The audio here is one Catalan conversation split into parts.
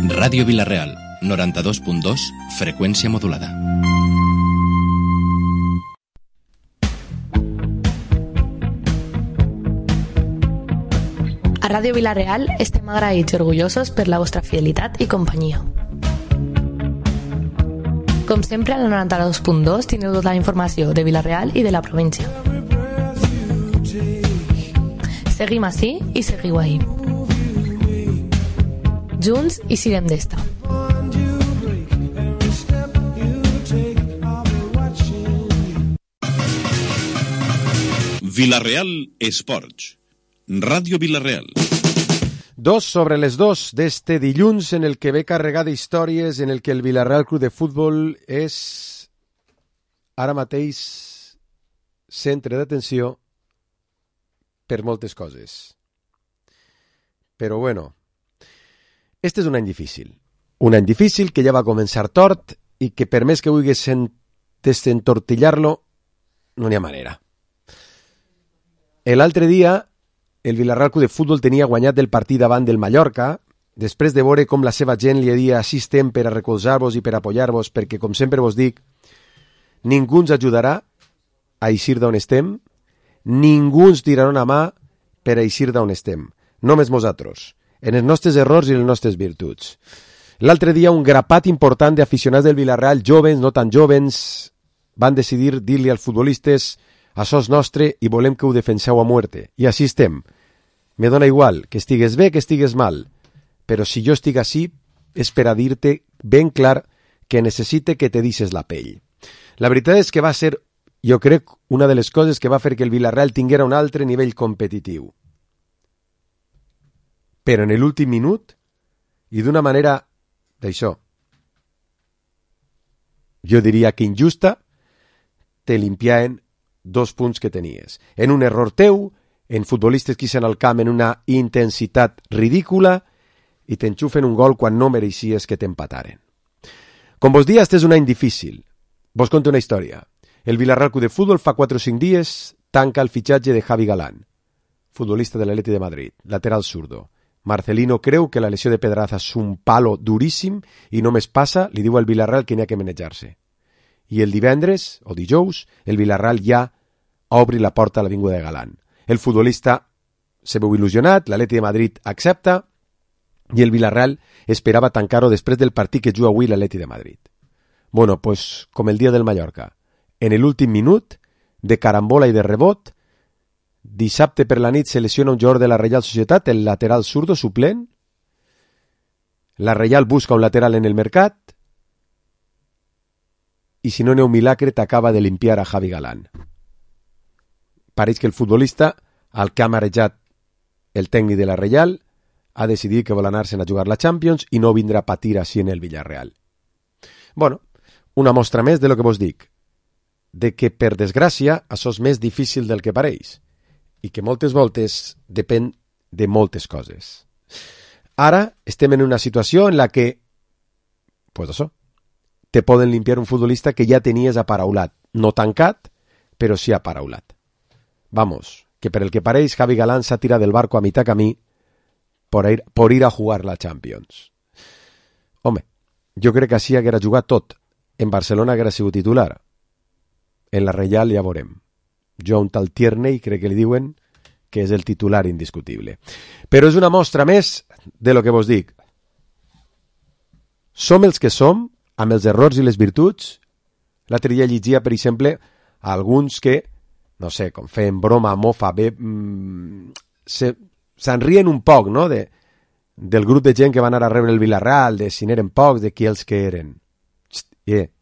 Ràdio Vila-real, 92.2, freqüència modulada. A Ràdio Vila-real estem agraïts i orgullosos per la vostra fidelitat i companyia. Com sempre, a la 92.2 tindreu tota la informació de Vila-real i de la província. Seguim ací i seguiu ahí. Junts i siguem d'esta. Vila-real Esports. Ràdio Vila-real. 2:02 d'este dilluns, en el que ve carregat d'històries, en el que el Vila-real Club de Futbol és ara mateix centre d'atenció per moltes coses. Però bueno, este és un any difícil. Un any difícil que ja va començar tort i que per més que vulguis desentortillar-lo, no n'hi ha manera. L'altre dia el Vila-real Club de Futbol tenia guanyat el partit davant del Mallorca, després de veure com la seva gent li dia així estem per a recolzar-vos i per a apoyar-vos, perquè, com sempre vos dic, ningú ens ajudarà a eixir d'on estem, ningú ens tirarà una mà per a eixir d'on estem, només nosaltres, en els nostres errors i en les nostres virtuts. L'altre dia un grapat important d'aficionats del Vila-real, jovens, no tan jovens, van decidir dir-li als futbolistes: això és nostre i volem que ho defenseu a muerte. I així estem. Me dona igual que estigues bé, que estigues mal, però si jo estic així és per a dir-te ben clar que necessite que te deixes la pell. La veritat és que va ser, jo crec, una de les coses que va fer que el Vila-real tinguera un altre nivell competitiu. Però en l'últim minut, i d'una manera d'això, jo diria que injusta, te limpiaven 2 punts que tenies. En un error teu, en futbolistes que ixen al camp en una intensitat ridícula i t'enxufen un gol quan no mereixies que t'empataren. Com vos dia, este és un any difícil. Vos conto una història. El Vila-real Club de Futbol fa 4 o 5 dies tanca el fitxatge de Javi Galán, futbolista de l'Atleti de Madrid, lateral zurdo. Marcelino creu que la lesió de Pedraza és un palo duríssim i només passa, li diu al Vila-real que n'hi ha que manejar-se. I el divendres, o dijous, el Vila-real ja obri la porta a l'avinguda de Galán. El futbolista se veu il·lusionat, l'Atleti de Madrid accepta i el Vila-real esperava tancar-ho després del partit que juga avui l'Atleti de Madrid. Bueno, pues, com el dia del Mallorca. En l'últim minut, de carambola i de rebot, dissabte per la nit se lesiona un jugador de la Reial Societat, el lateral zurdo suplent. La Reial busca un lateral en el mercat i si no n'hi ha un milagre t'acaba de limpiar a Javi Galán. Pareix que el futbolista, al que ha marejat el tècnic de la Reial, ha decidit que vol anar-se'n a jugar la Champions i no vindrà a patir així en el Villarreal. Bueno, una mostra més de lo que vos dic, de que, per desgràcia, això és més difícil del que pareix i que moltes voltes depèn de moltes coses. Ara estem en una situació en la que, pues això, te poden limpiar un futbolista que ja tenies aparaulat, no tancat, però sí aparaulat. Vamos, que per el que pareix, Javi Galán s'ha tirat del barco a mitad camí por ir a jugar la Champions. Home, jo crec que així haguera jugat tot. En Barcelona haguera sigut titular. En la Reial ja veurem. Jo a un tal Tierney crec que li diuen que és el titular indiscutible. Però és una mostra més de lo que vos dic. Som els que som, amb els errors i les virtuts. L'altre dia llegia, per exemple, alguns que, no sé, com feien broma, mofa, bé, se'n rien un poc, no?, del grup de gent que van anar a rebre el Villarreal, de si n'eren pocs, de qui els que eren.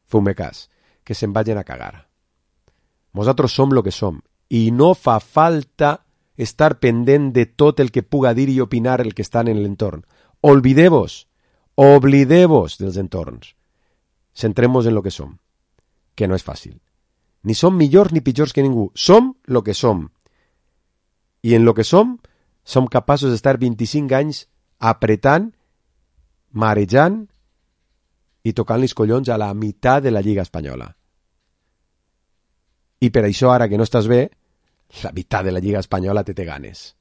Feu-me cas, que se'n vagin a cagar. Nosaltres som lo que som, i no fa falta estar pendent de tot el que puga dir i opinar el que estan en l'entorn. Oblideu-vos dels entorns. Centrem-nos en lo que som, que no és fàcil. Ni som millors ni pitjors que ningú. Som lo que som. I en lo que som capaços d'estar 25 anys apretant, marejant i tocant els collons a la meitat de la Lliga Espanyola. I per això, ara que no estàs bé, la meitat de la Lliga Espanyola te té ganes.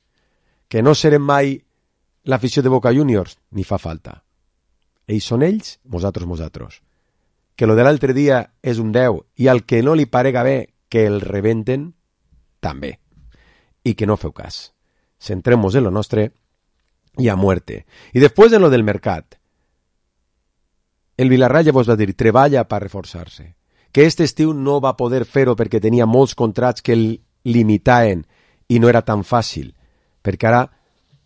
Que no serem mai l'afició de Boca Juniors? Ni fa falta. Ells són ells, nosaltres. Que lo de l'altre dia és un 10 i al que no li parega bé que el rebenten, també. I que no feu cas. Centremos en lo nostre i a muerte. I després en lo del mercat. El Villarreal ja vos va dir, treballa per reforçar-se. Que este estiu no va poder fer-ho perquè tenia molts contrats que el limitaven i no era tan fàcil. Perquè ara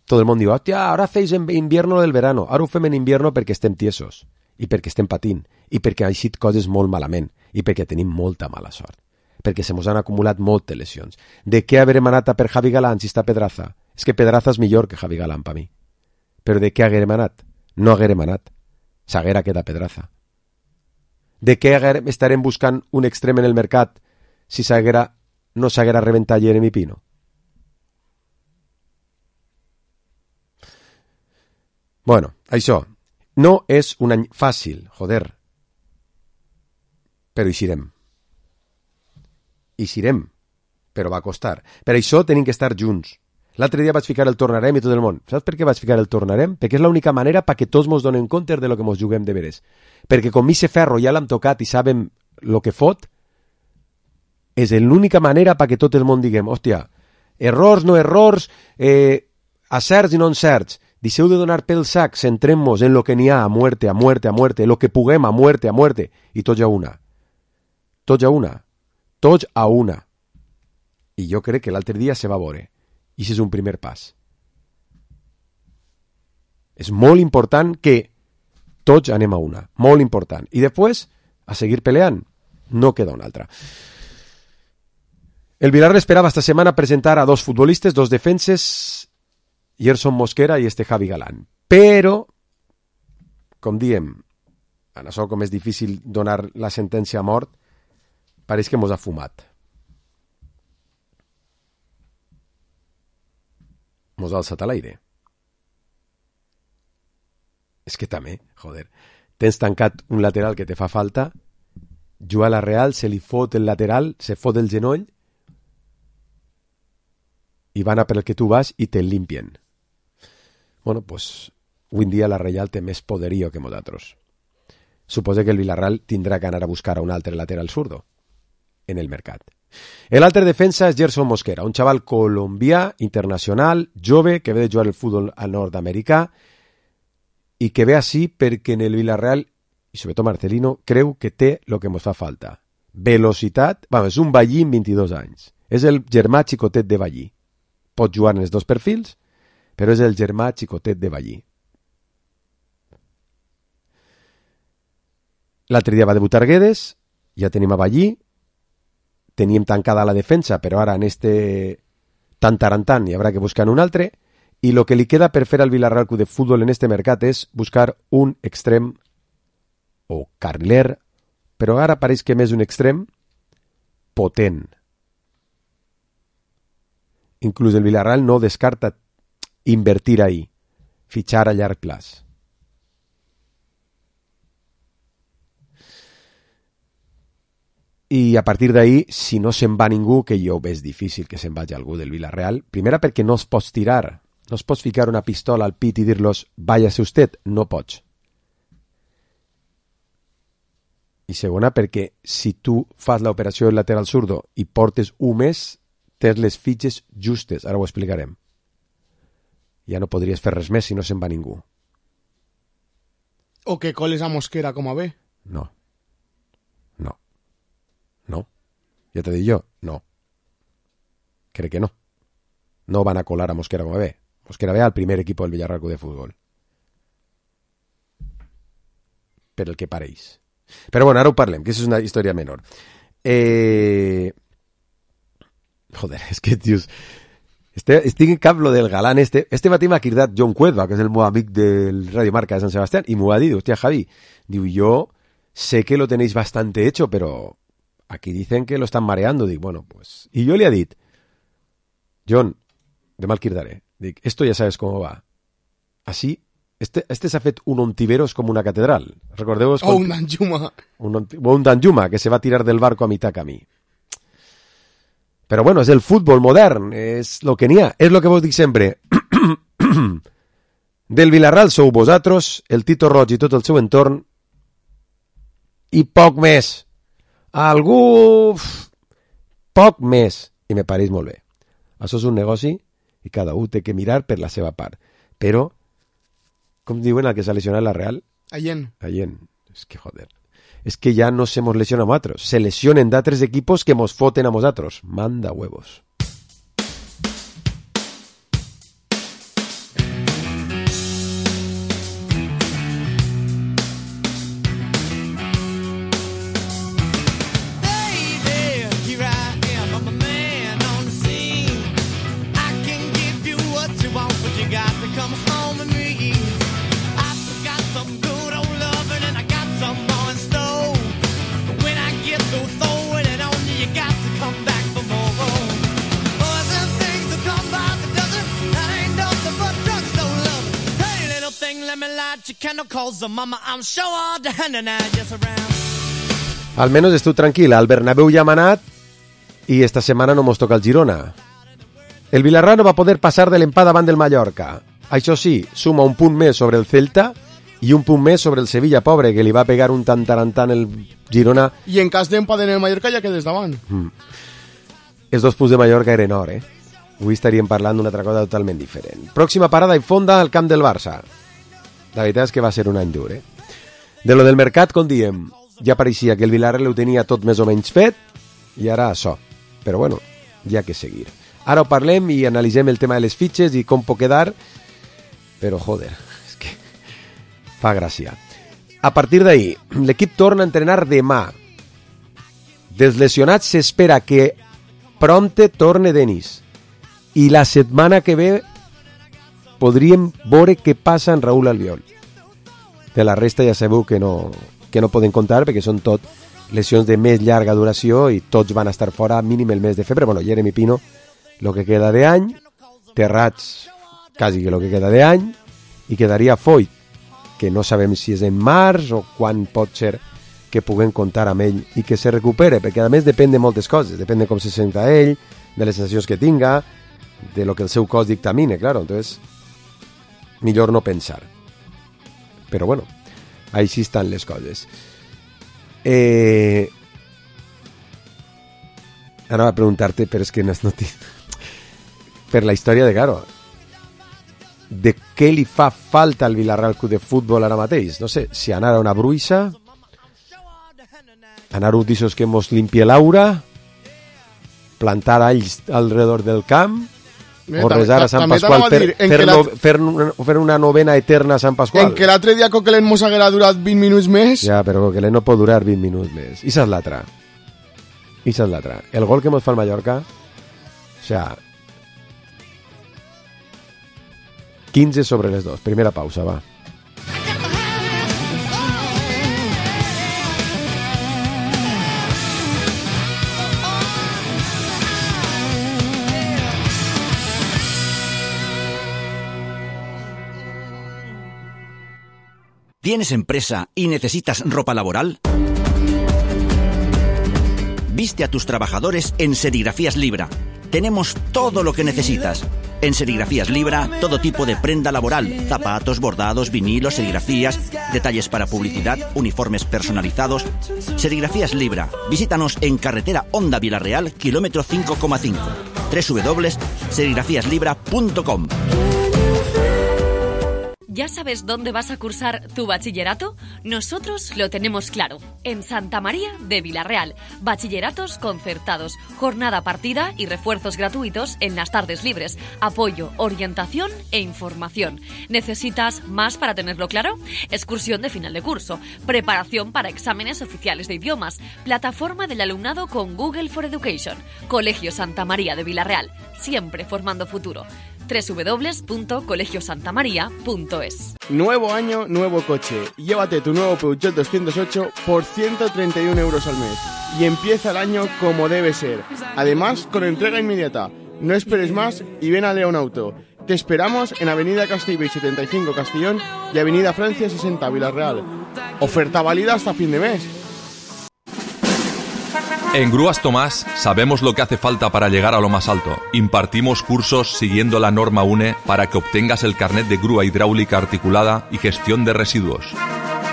tot el món diu, hòstia, ara feis en invierno del verano. Ara ho fem en invierno perquè estem tiesos i perquè estem patint i perquè han eixit coses molt malament i perquè tenim molta mala sort. Perquè se mos han acumulat moltes lesions. De què haguem anat a per Javi Galán si està Pedraza? És que Pedraza és millor que Javi Galán per mi. Però de què haguem anat? No haguem anat. S'haguera quedat Pedraza. De què estarem buscant un extrem en el mercat si no s'haguera reventat Jeremy Pino? Bueno, això no és un any fàcil, joder. Però eixirem, però va costar. Per això tenim que estar junts. L'altre dia vaig ficar el tornarem i tot el món. Saps per què vaig ficar el tornarem? Perquè és l'única manera perquè tots mos donem compte de lo que mos juguem de veres. Perquè com Mise Ferro ja l'hem tocat i sabem lo que fot, és l'única manera perquè tot el món diguem, hòstia, errors, no errors, acerts i no encerts. Deixeu de donar pel sac, centrem-nos en lo que n'hi ha, a muerte, lo que puguem, a muerte, i tots a una. Tots a una. I jo crec que l'altre dia se va veure. I això és un primer pas. És molt important que tots anem a una. Molt important. I després, a seguir peleant. No queda una altra. El Villarreal esperava esta setmana presentar a dos futbolistes, dos defenses, Gerson Mosquera i este Javi Galán. Però, com diem, en això com és difícil donar la sentència a mort, pareix que mos ha fumat. Mos ha alçat a l'aire. És que també, joder, tens tancat un lateral que te fa falta, juga a la Real, se li fot el lateral, se fot el genoll, i van a per el que tu vas i te'l limpien. Bueno, pues, avui en dia la Real té més poderío que nosaltres. Suposo que el Villarreal tindrà que anar a buscar a un altre lateral zurdo en el mercat. L'altre defensa és Gerson Mosquera, un xaval colombià, internacional, jove, que ve de jugar el futbol al nord-americà i que ve així perquè en el Villarreal, i sobretot Marcelino, creu que té el que ens fa falta. Velocitat, és un Ballí amb 22 anys. És el germà xicotet de Ballí. Pot jugar en els dos perfils, però és el germà xicotet de Ballí. L'altre dia va debutar Guedes, ja tenim a Ballí, teníem tancada la defensa, però ara en este tan hi haurà que buscar un altre, i el que li queda per fer al Villarreal Club de Futbol en este mercat és buscar un extrem o carriler, però ara pareix que més un extrem potent. Inclús el Villarreal no descarta invertir ahí, fitxar a llarg plaç. I a partir d'ahí, si no se'n va ningú, que jo veig difícil que se'n vagi algú del Villarreal, primera perquè no es pots tirar, no es pots ficar una pistola al pit i dir-los váyase usted, no pots. I segona perquè si tu fas l'operació del lateral zurdo i portes un mes, tens les fitxes justes, ara ho explicarem. Ja no podries fer res més si no se'n va ningú. O que coles a Mosquera com a bé. No. Ja t'he dit jo, no. Crec que no. No van a colar a Mosquera com a bé. Mosquera ve al primer equip del Villarreal Club de Futbol. Per el que pareix. Però bueno, ara ho parlem, que això és una història menor. Joder, és que, tios... Estic en cap lo del Galán este matí m'ha cridat John Cuedva, que és el meu amic del Radio Marca de Sant Sebastián, i m'ho ha dit, hòstia, Javi, diu, yo sé que lo tenéis bastante hecho, pero aquí dicen que lo están mareando. Dic, bueno, pues... Y yo le he dit, John, demà el cridaré, dic, esto ya sabes cómo va. Así, este s'ha fet un Ontiveros com una catedral. Recordeu-vos... O un Danjuma. Un Danjuma, que se va tirar del barco a mitad camí. Però bueno, és el futbol modern, és lo que n'hi ha. És lo que vos dic sempre. Del Villarreal sou vosaltres, el Tito Roig i tot el seu entorn, i poc més. Algú... poc més. I me pareix molt bé. Això és un negoci i cada un té que mirar per la seva part. Però, com diuen el que s'ha lesionat la Real? Allén. És que joder. És que ja no se mos lesiona a nosaltres. Se lesionen d'altres equipos que mos foten a nosaltres. Manda huevos. Al menos estiu tranquil, al Bernabéu ja hem anat i esta setmana no mos toca el Girona. El Villarreal no va poder passar de l'empat davant del Mallorca. Això sí, suma un punt més sobre el Celta i un punt més sobre el Sevilla, pobre, que li va pegar un tantarantant el Girona. I en cas d'empat en el Mallorca ja quedes davant. Els 2 punts de Mallorca eren or, Avui estaríem parlant d'una altra cosa totalment diferent. Pròxima parada i fonda al camp del Barça. La veritat és que va ser un any dur, De lo del mercat, com diem, ja pareixia que el Villarreal ho tenia tot més o menys fet, i ara això. Però bueno, hi ha que seguir. Ara ho parlem i analitzem el tema de les fitxes i com pot quedar, però joder, és que fa gràcia. A partir d'ahir, l'equip torna a entrenar demà. Dels lesionats s'espera que prompte torne Denis. I la setmana que ve podríem veure què passa en Raúl Albiol. De la resta ja sabeu que no poden comptar perquè són tot lesions de més llarga duració i tots van estar fora mínim el mes de febrer. Bueno, Jeremy Pino, lo que queda d'any, Terrats, quasi que lo que queda d'any, i quedaria Foyt, que no sabem si és en març o quan pot ser que puguem comptar amb ell i que se recupere, perquè a més depèn de moltes coses, depèn de com se senta ell, de les sensacions que tinga, de lo que el seu cos dictamine, claro, entonces millor no pensar. Però bueno, així estan les coses. Ara va preguntar-te, però és que no per la història de Caro, de què li fa falta al Villarreal Club de Futbol ara mateix? No sé, si anar a una bruixa, anar a un d'issos que mos limpie l'aura, plantar alls alrededor del camp, o resar a Sant Pasqual, fer una novena eterna a Sant Pasqual. En que l'altre dia Coquelin mos haguera durat 20 minuts més. Ja, però Coquelin no pot durar 20 minuts més. I és l'altra. El gol que mos fa el Mallorca, o sea, 15 sobre les 2. Primera pausa, va. ¿Tienes empresa y necesitas ropa laboral? Viste a tus trabajadores en Serigrafías Libra. Tenemos todo lo que necesitas. En Serigrafías Libra, todo tipo de prenda laboral, zapatos, bordados, vinilos, serigrafías, detalles para publicidad, uniformes personalizados. Serigrafías Libra. Visítanos en carretera Honda Villarreal, kilómetro 5,5. www.serigrafíaslibra.com. ¿Ya sabes dónde vas a cursar tu bachillerato? Nosotros lo tenemos claro. En Santa María de Villarreal. Bachilleratos concertados, jornada partida y refuerzos gratuitos en las tardes libres. Apoyo, orientación e información. ¿Necesitas más para tenerlo claro? Excursión de final de curso. Preparación para exámenes oficiales de idiomas. Plataforma del alumnado con Google for Education. Colegio Santa María de Villarreal. Siempre formando futuro. www.colegiosantamaria.es. Nuevo año, nuevo coche. Llévate tu nuevo Peugeot 208 por 131 euros al mes. Y empieza el año como debe ser. Además, con entrega inmediata. No esperes más y ven a León Auto. Te esperamos en Avenida Castellbell 75 Castellón y Avenida Francia 60 Villarreal. Oferta válida hasta fin de mes. En Grúas Tomás sabemos lo que hace falta para llegar a lo más alto. Impartimos cursos siguiendo la norma UNE para que obtengas el carnet de grúa hidráulica articulada y gestión de residuos.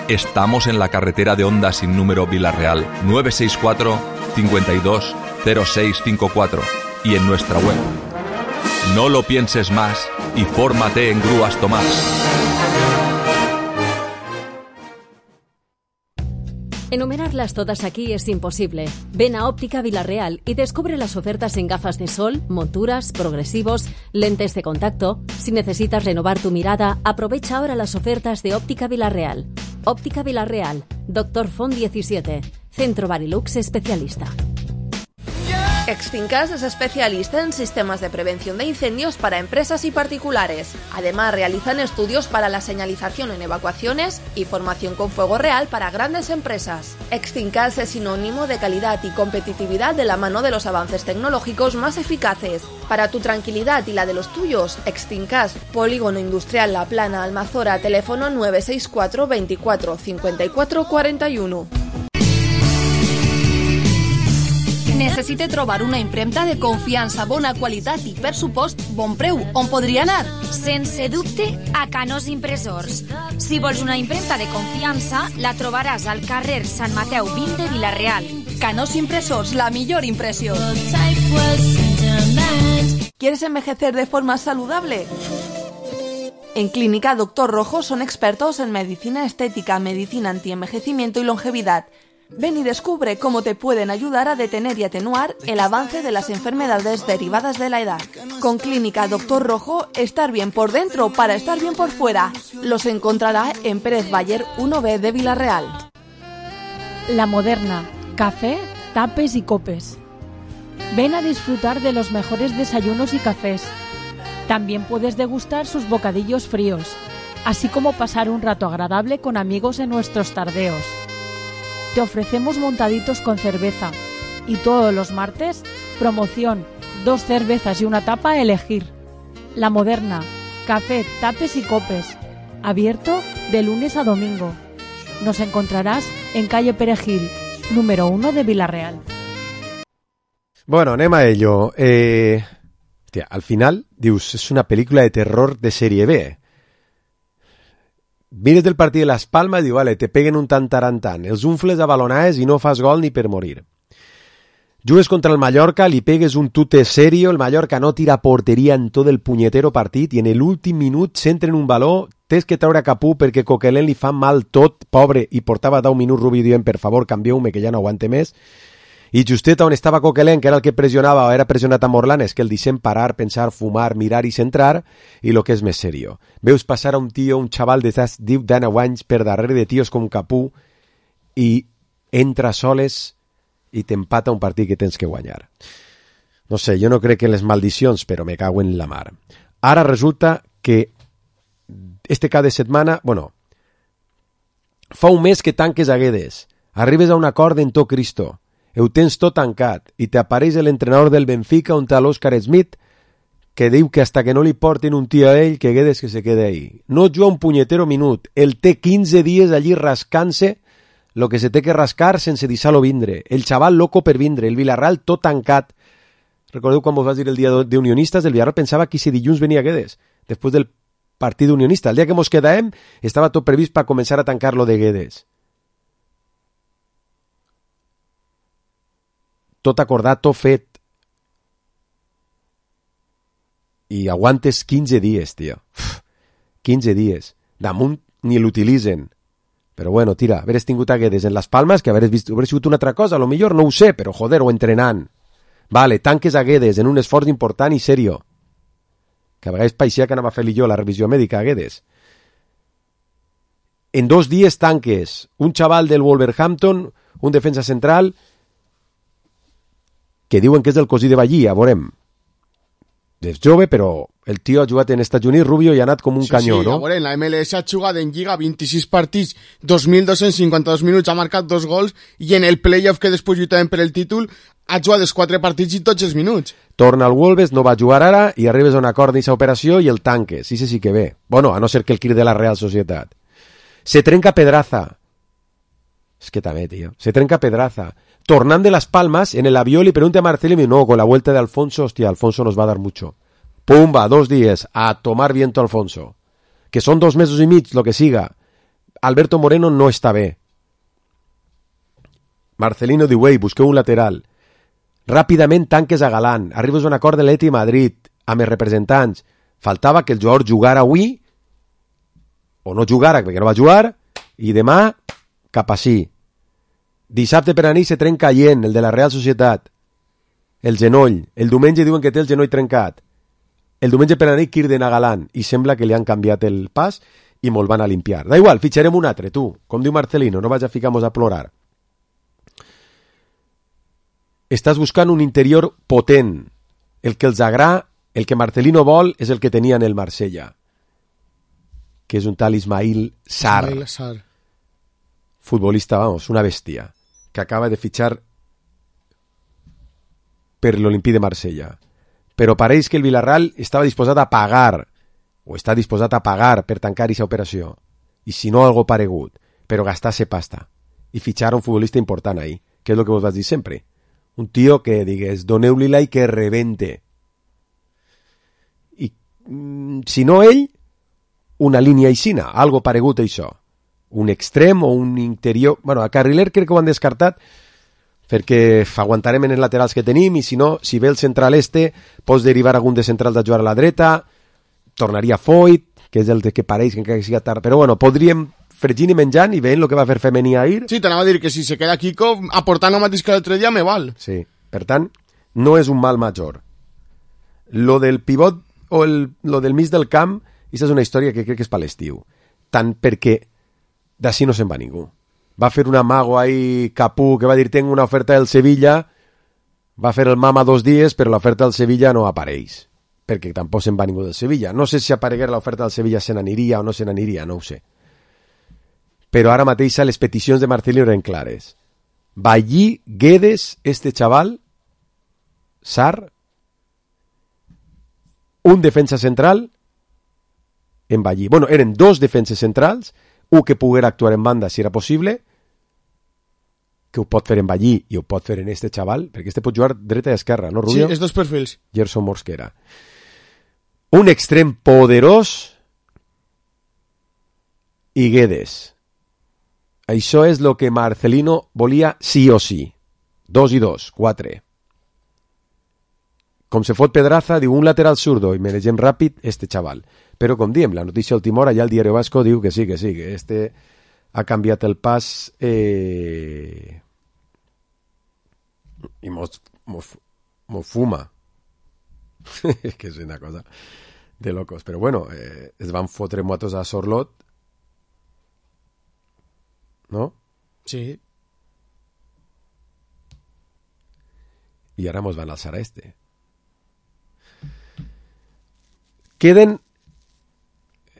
Estamos en la carretera de Honda sin número Vila-real 964 52 0654 y en nuestra web. No lo pienses más y fórmate en Grúas Tomás. Enumerarlas todas aquí es imposible. Ven a Óptica Vila-real y descubre las ofertas en gafas de sol, monturas, progresivos, lentes de contacto. Si necesitas renovar tu mirada, aprovecha ahora las ofertas de Óptica Vila-real. Óptica Vila-real, Dr. Font 17, Centro Barilux especialista. Extincas es especialista en sistemas de prevención de incendios para empresas y particulares. Además, realizan estudios para la señalización en evacuaciones y formación con fuego real para grandes empresas. Extincas es sinónimo de calidad y competitividad de la mano de los avances tecnológicos más eficaces. Para tu tranquilidad y la de los tuyos, Extincas, Polígono Industrial La Plana, Almazora, teléfono 964 24 54 41. Necessite trobar una impremta de confiança, bona qualitat i, per supost, bon preu. On podria anar? Sense dubte, a Canós Impressors. Si vols una impremta de confiança, la trobaràs al carrer Sant Mateu 20 de Vila-real. Canós Impressors, la millor impressió. ¿Quieres envejecer de forma saludable? En Clínica Dr. Rojo son expertos en medicina estética, medicina antienvejecimiento y longevidad. Ven y descubre cómo te pueden ayudar a detener y atenuar el avance de las enfermedades derivadas de la edad. Con Clínica Dr. Rojo, estar bien por dentro para estar bien por fuera. Los encontrará en Pérez Bayer 1B de Vila-real. La Moderna, café, tapes y copes. Ven a disfrutar de los mejores desayunos y cafés. También puedes degustar sus bocadillos fríos, así como pasar un rato agradable con amigos en nuestros tardeos. Te ofrecemos montaditos con cerveza y todos los martes, promoción, 2 cervezas y una tapa a elegir. La Moderna, café, tapes y copes, abierto de lunes a domingo. Nos encontrarás en calle Perejil, número 1 de Vila-real. Bueno, anem a ello. Hòstia, al final, dius, és una pel·lícula de terror de sèrie B. Mires del partit de Las Palmas i diu, vale, te peguen un tantarantan, els unfles a balonades i no fas gol ni per morir. Jugues contra el Mallorca, li pegues un tute serio, el Mallorca no tira porteria en tot el punyetero partit i en l'últim minut s'entra en un baló, tens que treure Capú perquè Coquelin li fa mal tot, pobre, i portava 10 minuts Rubi dient, per favor, canvieu-me que ja no aguante més. I justet on estava Coquelin, que era el que pressionava o era pressionat a Morlan, és que el deixem parar, pensar, fumar, mirar i centrar, i el que és més serio. Veus passar a un tio, un xaval de 10 anys per darrere de tios com Capú i entra soles i t'empata un partit que tens que guanyar. No sé, jo no crec que les maldicions, però me cago en la mar. Ara resulta que este cada setmana, bueno, fa un mes que tanques a Guedes, arribes a un acord en tot Cristo, ho tens tot tancat i t'apareix l'entrenador del Benfica on té l'Òscar Smith que diu que hasta que no li portin un tio a ell que Guedes que se quede ahí. No juga un punyetero minut. El té 15 dies allí rascant-se lo que se té que rascar sense deixar-lo vindre. El xaval loco per vindre. El Villarreal tot tancat. Recordeu quan vos vas dir el dia d'Unionistes? El Villarreal pensava que si dilluns venia Guedes després del partit d'Unionista. El dia que mos quedàvem estava tot previst per començar a tancar lo de Guedes. Tot acordat, tot fet. I aguantes 15 dies, tio. 15 dies. Damunt ni l'utilitzen. Però bueno, tira, haveres tingut a Guedes en Las Palmas, que haveres sigut una altra cosa, a lo millor no ho sé, però joder, o entrenant. Vale, tanques a Guedes en un esforç important i serio. Que a vegades paixia que anava a fer-li jo la revisió mèdica a Guedes. En 2 dies tanques un xaval del Wolverhampton, un defensa central, que diuen que és del cosí de Ballí, a veurem. És jove, però el tio ha jugat en Estats Units, Rubio, i ha anat com un canyó, no? Sí, a veure, en la MLS ha jugat en Lliga 26 partits, 2.252 minuts, ha marcat 2 gols, i en el playoff que després lluitaven per el títol, ha jugat els 4 partits i tots els minuts. Torna al Wolves, no va jugar ara, i arribes a un acord d'aquesta operació i el tanques. Sí que ve. Bueno, a no ser que el crit de la Real Societat. Se trenca Pedraza. Es que també, tío. Se trenca Pedraza. Tornant de Las Palmas, en el avión le pregunta a Marcelo y no, con la vuelta de Alfonso, hostia, Alfonso nos va a dar mucho. Pumba, 2 días, a tomar viento Alfonso. Que son 2 mesos y mig, lo que siga. Alberto Moreno no està bé. Marcelino diu, ei, busqueu un lateral. Ràpidament tanques a Galán. Arribes a un acord de l'Eti Madrid, amb els representants. Faltava que el jugador jugara avui, o no jugara, perquè no va jugar, i demà, cap així. Dissabte per a nit se trenca Allent, el de la Real Societat. El genoll. El diumenge diuen que té el genoll trencat. El diumenge per a nit Kirden a Galán, i sembla que li han canviat el pas i me'l van a limpiar. Da igual, fitxarem un altre, tu. Com diu Marcelino, no vaig a ficar-nos a plorar. Estàs buscant un interior potent. El que els agrada, el que Marcelino vol, és el que tenia en el Marsella, que és un tal Ismail Sarr. Futbolista, vamos, una bestia, que acaba de fitxar per l'Olimpí de Marsella. Però pareix que el Villarreal estava disposat a pagar, o està disposat a pagar per tancar aquesta operació. I si no, algo paregut. Però gastar-se pasta. I fitxar un futbolista important ahí, que és el que vos vas dir sempre. Un tio que digues, doneu-li-la i que rebente. I si no ell, una línia aixina, algo paregut a això. Un extrem o un interior... Bueno, a Carriler crec que ho han descartat perquè aguantarem en els laterals que tenim i si no, si ve el central pots derivar algun de centrals a jugar a la dreta, tornaria Foyt, que és el que pareix que encara que siga tard, però bueno, podríem fregint i menjant i veient el que va fer Femení ahir. Sí, t'anava a dir que si se queda Kiko aportant el mateix que l'altre dia me val. Sí, per tant, no és un mal major. Lo del pivot o lo del mig del camp, aquesta és una història que crec que és per l'estiu. Tant perquè d'ací no se'n va ningú. Va fer un amago ahí Capú que va dir tengo una oferta del Sevilla, va fer el mama 2 dies, però l'oferta del Sevilla no apareix, perquè tampoc se'n va ningú del Sevilla. No sé si apareguera l'oferta del Sevilla se n'aniria o no se n'aniria, no ho sé. Però ara mateix les peticions de Marcelino eren clares. Ballí, Guedes, este chaval, Sarr, un defensa central en Ballí. Bueno, eren 2 defenses centrals, un que poguera actuar en banda si era possible, que ho pot fer en Ballí i ho pot fer en este xaval, perquè este pot jugar dreta i esquerra, no, Rubio? Sí, els 2 perfils. Gerson Mosquera. Un extrem poderós i Guedes. Això és el que Marcelino volia sí o sí. 2 i 2, 4. Com se fot Pedraza, diu un lateral zurdo i manegem ràpid este xaval. Però com diem, la notícia última hora, ja el Diario Vasco diu que sí, que este ha canviat el pas i mos fuma. Que és una cosa de locos. Però bueno, es van fotre motos a Sorlot, no? Sí. I ara mos van alçar a este. Queden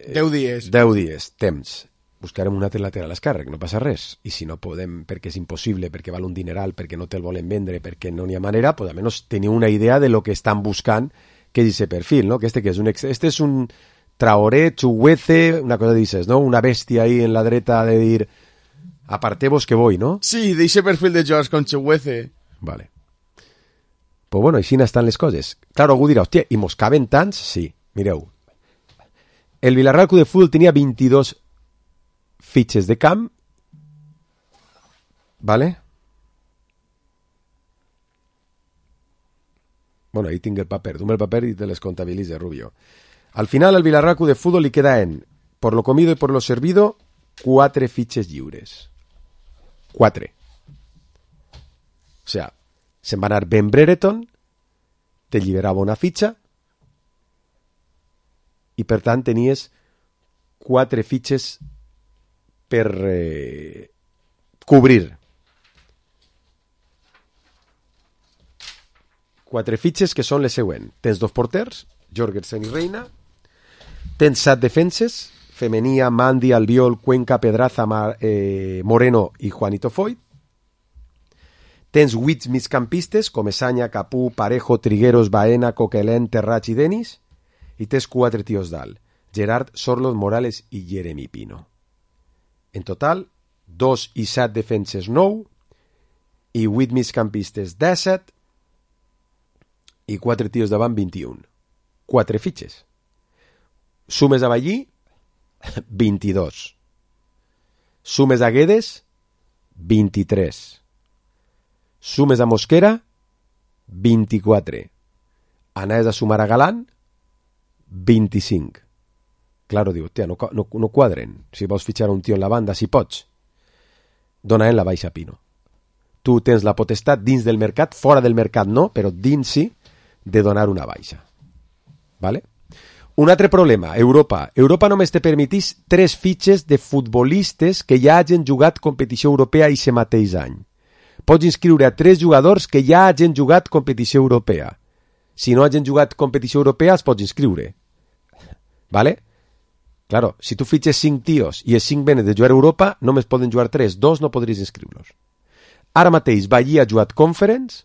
10 dies. 10 dies, temps. Buscarem un altre lateral esquerre, no passa res. I si no podem, perquè és impossible, perquè val un dineral, perquè no te'l volen vendre, perquè no n'hi ha manera, pues almenys teniu una idea de lo que estan buscant, que és ese perfil, no? Que que és este és un Traoré, Chuguece, una cosa dices, ¿no? Una bestia ahí en la dreta de dir apartemos que voy, ¿no? Sí, d'eixe perfil de jugadors con Chuguece. Vale. Pues bueno, així estan les coses. Claro, algú dirà, hòstia, i mos caben tants? Sí, mireu. El Villarreal Club de Fútbol tenia 22 fitxes de camp, ¿vale? Bueno, ahí tinc el paper. Dume el paper y te les contabilice, Rubio. Al final, al Villarreal Club de Fútbol li queda en, por lo comido y por lo servido, 4 fitxes lliures. 4. O sea, se'n va anar Ben Brereton, te lliberava una fitxa, i per tant tenies 4 fitxes per cobrir. 4 fitxes que són les següents. Tens 2 porters, Jorgensen i Reina. Tens 7 defenses, Femenia, Mandi, Albiol, Cuenca, Pedraza, Moreno i Juanito Foyt. Tens 8 migcampistes, Comesaña, Capú, Parejo, Trigueros, Baena, Coquelin, Terrats i Denis. I tens 4 tios dalt, Gerard, Sorlot, Morales i Jeremy Pino. En total, 2 i 7 defenses 9, i 8 migcampistes 17, i 4 tios davant 21. 4 fitxes. Sumes a Ballí, 22. Sumes a Guedes, 23. Sumes a Mosquera, 24. Anaves a sumar a Galán, 25. Claro, diu, tia, no quadren. Si vols fitxar un tio en la banda, si pots. Dona en la baixa Pino. Tu tens la potestat dins del mercat, fora del mercat no, però dins sí, de donar una baixa. Vale? Un altre problema, Europa. Europa només te permetís 3 fitxes de futbolistes que ja hagin jugat competició europea aquest mateix any. Pots inscriure a 3 jugadors que ja hagin jugat competició europea. Si no hagin jugat competició europea, els pots inscriure. Vale? Claro, si tu fitxes 5 tios i els 5 venen de jugar a Europa, només poden jugar 3, 2 no podries inscriure-los. Ara mateix, Ballí ha jugat Conference,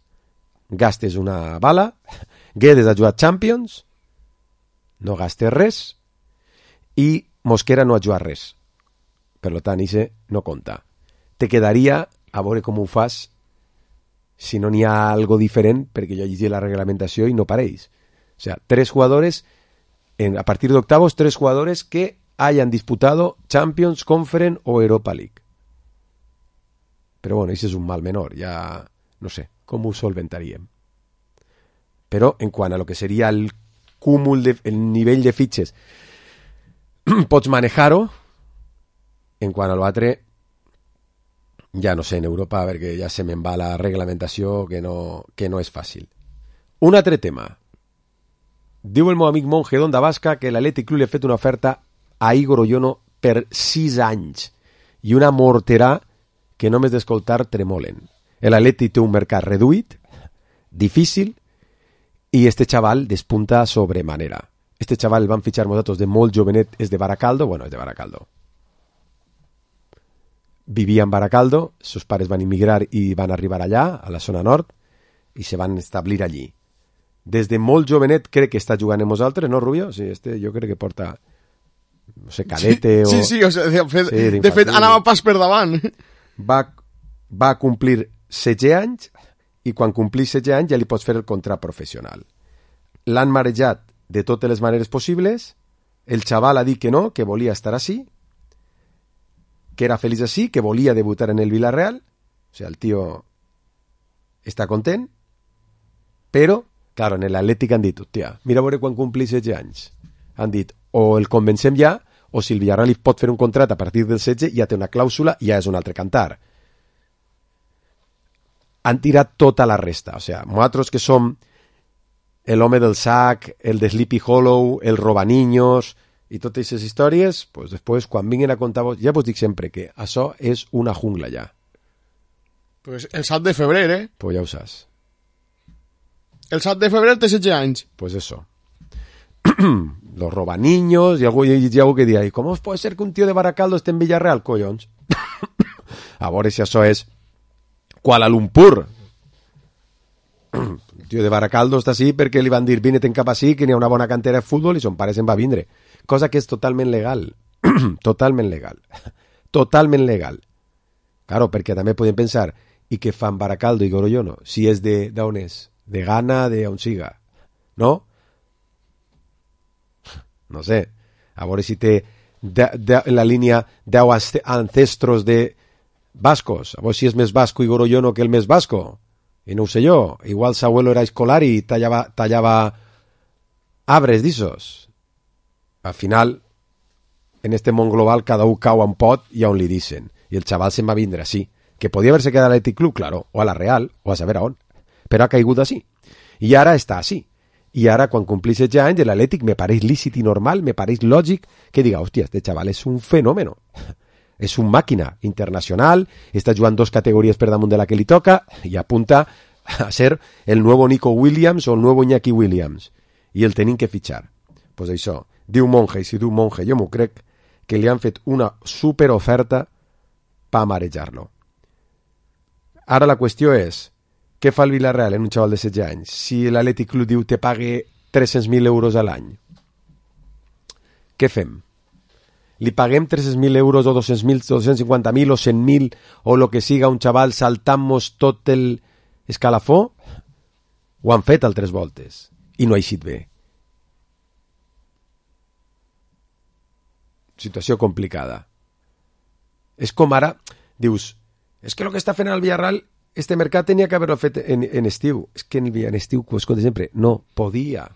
gastes una bala, Guedes ha jugat Champions, no gastes res, i Mosquera no ha jugat res. Per tant, això no compta. Te quedaria a veure com ho fas si no n'hi ha algo diferent, perquè jo llegi la reglamentació i no pareix. O sea, 3 jugadores... a partir de octavos, 3 jugadores que hayan disputado Champions, Conference o Europa League. Pero bueno, ese es un mal menor, ya no sé cómo solventaríem. Pero en cuanto a lo que sería el cúmul, el nivell de fitxes, pots manejar-ho. En quant a l'altre, ja no sé, en Europa, perquè ja se me'n va la reglamentació que no és fàcil. Un altre tema. Diu el meu amic Monje d'Onda Basca que l'Atlètic Club li ha fet una oferta a Igor Oyono per 6 anys i una morterà que només d'escoltar tremolen. L'Atlètic té un mercat reduït, difícil, i este xaval despunta sobremanera. Este xaval el van fitxar nosaltres de molt jovenet, és de Baracaldo, bueno, és de Baracaldo. Vivia en Baracaldo, sus pares van immigrar i van arribar allà, a la zona nord, i se van establir allí. Des de molt jovenet crec que està jugant amb nosaltres, no, Rubio? Sí, jo crec que porta, no sé, cadete o... Sí, o sigui, de fet, anava pas per davant. Va complir 16 anys i quan complís 16 anys ja li pots fer el contrat professional. L'han marejat de totes les maneres possibles, el xaval ha dit que no, que volia estar així, que era feliç així, que volia debutar en el Villarreal, o sigui, el tio està content, però claro, en l'Atlètic han dit, hòstia, mira a veure quan complís 16 anys. Han dit, o el convencem ja, o si el Villarreal li pot fer un contrat a partir del 16, ja té una clàusula i ja és un altre cantar. Han tirat tota la resta. O sigui, nosaltres que som l'home del sac, el de Sleepy Hollow, el robaniños i totes aquestes històries, pues després, quan vinguin a contar vos, ja vos dic sempre que això és una jungla ja. Pues el 7 de febrer, Pues ja ho saps. El 7 de febrer té 16 anys. Pues eso. Los robaniños y algo que diga, ¿cómo puede ser que un tío de Baracaldo esté en Villarreal, collons? A veure si això és Kuala Lumpur. Un tío de Baracaldo està així perquè li van dir vine-te'n cap així, que n'hi ha una bona cantera de futbol i son pare se'n va vindre. Cosa que és totalment legal. Totalment legal. Totalment legal. Claro, perquè també podem pensar, i què fan Baracaldo i Goroyono? Si és d'on és? De Ghana, de on siga, ¿no? No sé, a veure si té la línia 10 ancestros de vascos, a veure si és més vasco i Goroyono que el més vasco, i no ho sé jo, igual su abuelo era escolar i tallava arbres d'issos. Al final, en este món global, cada un cau en pot i on li dicen, i el xaval se'n va vindre així, que podia haver-se quedat a l'Atlètic Club, claro, o a la Real, o a saber a on, però ha caigut així. I ara està així. I ara, quan complís 16 anys, l'Atlètic me pareix lícit i normal, me pareix lògic que diga, hòstia, este xaval és un fenòmeno. És un màquina internacional, està jugant 2 categories per damunt de la que li toca i apunta a ser el nuevo Nico Williams o el nuevo Iñaki Williams. I el tenim que fitxar. Pues això, diu Monje, i si diu Monje, jo m'ho crec, que li han fet una superoferta per marejar-lo. Ara la qüestió és, què fa el Villarreal en un xaval de 16 anys? Si l'Atlètic Club diu te pague 300.000 euros a l'any, què fem? li paguem 300.000 euros o 200.000, 250.000 o 100.000 o lo que siga un xaval saltant-nos tot el escalafó, ho han fet altres voltes i no ha eixit bé. Situació complicada. És com ara, dius, és que el que està fent el Villarreal, este mercat tenia que haver-lo fet en estiu. És que en estiu, com es conta sempre, no podia.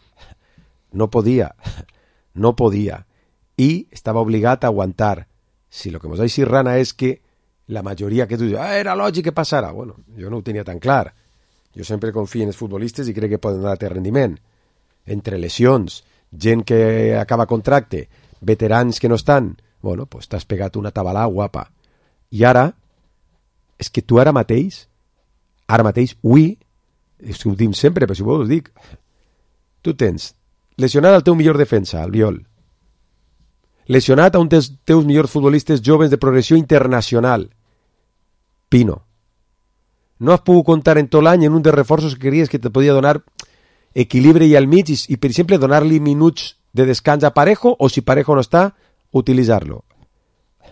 I estava obligat a aguantar. Si el que mos ha eixit rana és que la majoria que tu dius, era lògic que passara. Bueno, jo no ho tenia tan clar. Jo sempre confio en els futbolistes i crec que poden donar rendiment. Entre lesions, gent que acaba contracte, veterans que no estan, bueno, pues t'has pegat una tabalà guapa. I ara, és que tu ara mateix, avui, és que ho dic sempre, però si vols ho dic, tu tens lesionat el teu millor defensa, el Viol, lesionat a un dels teus millors futbolistes joves de progressió internacional, Pino. No has pogut comptar en tot l'any en un dels reforços que creries que te podia donar equilibri i al mig i per exemple, donar-li minuts de descans a Parejo o si Parejo no està, utilitzar-lo.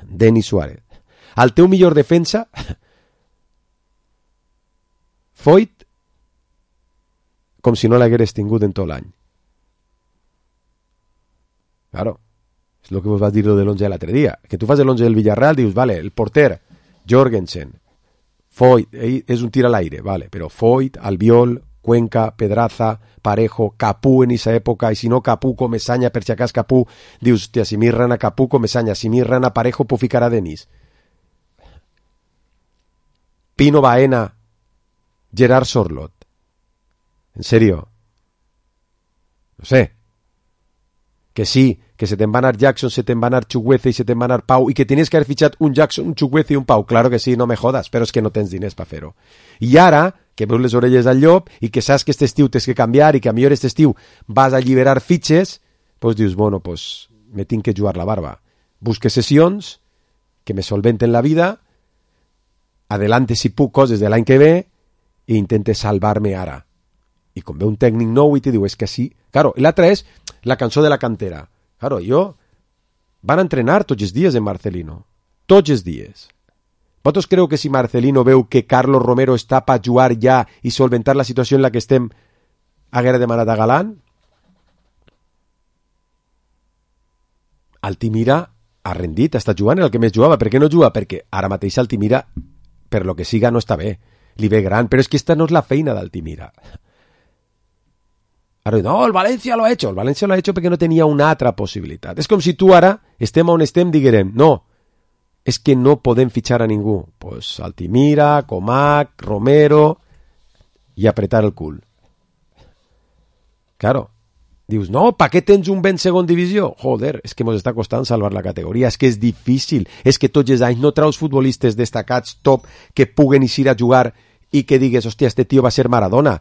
Denis Suárez. Al teu millor defensa, Foyt, com si no l'hagueres tingut en tot l'any. Claro, és el que vos va dir de l'11 de l'altre dia. Que tu fas l'11 del Villarreal, dius, vale, el porter, Jorgensen, Foyt, és un tir a l'aire, vale, però Foyt, Albiol, Cuenca, Pedraza, Parejo, Capú en esa època, i si no Capú, Comesaña, per si acas Capú, dius, hòstia, si mirran a Capú, Comesaña, si mirran a Parejo, puc ficar a Denis. Pino Baena, Gerard Sorlot. En serio. No sé. Que sí, que se te'n va anar Jackson, se te'n va anar Chukwueze i se te'n va anar Pau, i que tenies que haver fitxat un Jackson, un Chukwueze i un Pau. Claro que sí, no me jodas, però és que no tens diners per fer-ho. I ara, que veus les orelles al llop i que saps que este estiu tens que canviar i que a millor este estiu vas a alliberar fitxes, pues dius, bueno, pues me tinc que jugar la barba. Busque sessions que me solventen la vida, adelante si puc coses de l'any que ve i intente salvar-me ara. I com ve un tècnic nou i te diu, és que sí. Claro, l'altra és la cançó de la cantera. Claro, van entrenar tots els dies en Marcelino. Tots els dies. Vosaltres creu que si Marcelino veu que Carlos Romero està per jugar ja i solventar la situació en la que estem, haguera demanat a Galán? Altimira ha rendit, està jugant, el que més jugava. Per què no juga? Perquè ara mateix Altimira, per lo que siga, no està bé. Li ve gran, però és que esta no és la feina d'Altimira. Ara, no, el València lo ha hecho. El València lo ha hecho perquè no tenia una altra possibilitat. És com si tu ara, estem on estem, diguérem, no, és que no podem fitxar a ningú. Pues Altimira, Comac, Romero, i apretar el cul. Claro. Dius, no, ¿para qué tens un ben segon divisió? Joder, és que mos està costant salvar la categoria, és que és difícil, és que tots els anys no traus futbolistes destacats top que puguen eixir a jugar i que digues, hòstia, este tio va ser Maradona.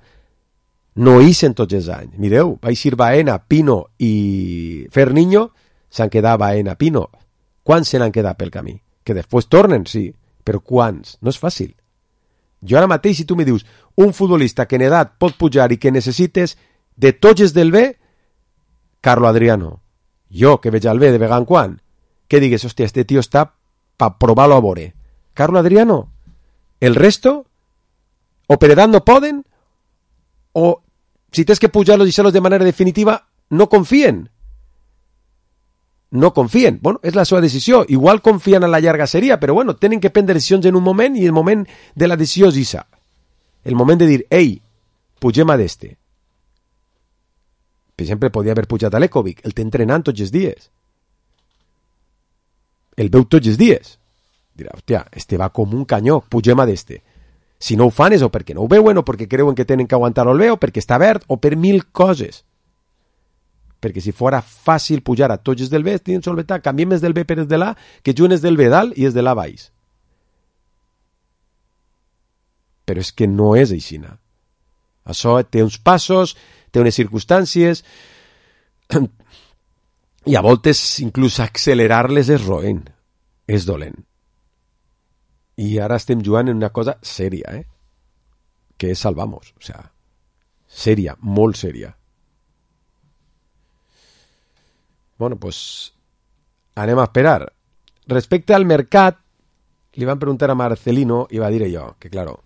No ixen tots els anys. Mireu, va eixir Baena, Pino i Ferniño, s'han quedat Baena, Pino. Quants se n'han quedat pel camí? Que després tornen, sí, però quants? No és fàcil. Jo ara mateix, si tu me dius, un futbolista que en edat pot pujar i que necessites de tots els del B, Carlo Adriano. Jo, que veig al B de vegant quan, que digues, hòstia, este tio està per provar-lo a veure. Carlo Adriano. El resto, o per edat no poden, o si tens que pujar-los i deixar-los de manera definitiva, no confien. No confien. Bueno, és la seva decisió. Igual confien a la llarga seria, però bueno, tenen que prendre decisions en un moment i el moment de la decisió és isa. El moment de dir, ei, pugem a d'este. Per exemple, podia haver pujat a l'Ekovic. El té entrenant tots els dies. El veu tots els dies. Dirà, hòstia, este va com un canyó, pugem a d'este. Si no ho fan és o perquè no ho veuen, o perquè creuen que tenen que aguantar el bé, o perquè està verd, o per mil coses. Perquè si fora fàcil pujar a tots els del B, tenen solventat, canviem els del B per els de l'A, que juguen els del B dalt i els de l'A baix. Però és que no és aixina. Això té uns passos, té unes circumstàncies, i a voltes inclús accelerar-les és roent, és dolent. I ara estem jugant en una cosa sèria, que és Salvamos, o sea, sèria, molt sèria. Bueno, pues anem a esperar. Respecte al mercat, li van preguntar a Marcelino i va dir allò, que claro,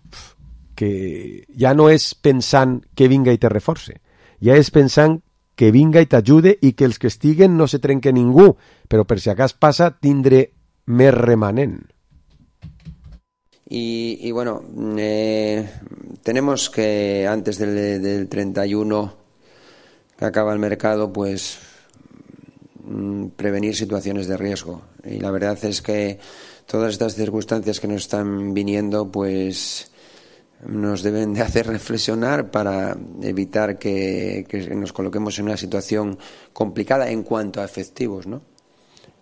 que ja no és pensant que vinga i te reforce, ja és pensant que vinga i t'ajude i que els que estiguen no se trenque ningú, però per si acas passa tindre més remanent. Y bueno, tenemos que antes del 31 que acaba el mercado, pues prevenir situaciones de riesgo. Y la verdad es que todas estas circunstancias que nos están viniendo, pues nos deben de hacer reflexionar para evitar que nos coloquemos en una situación complicada en cuanto a efectivos, ¿no?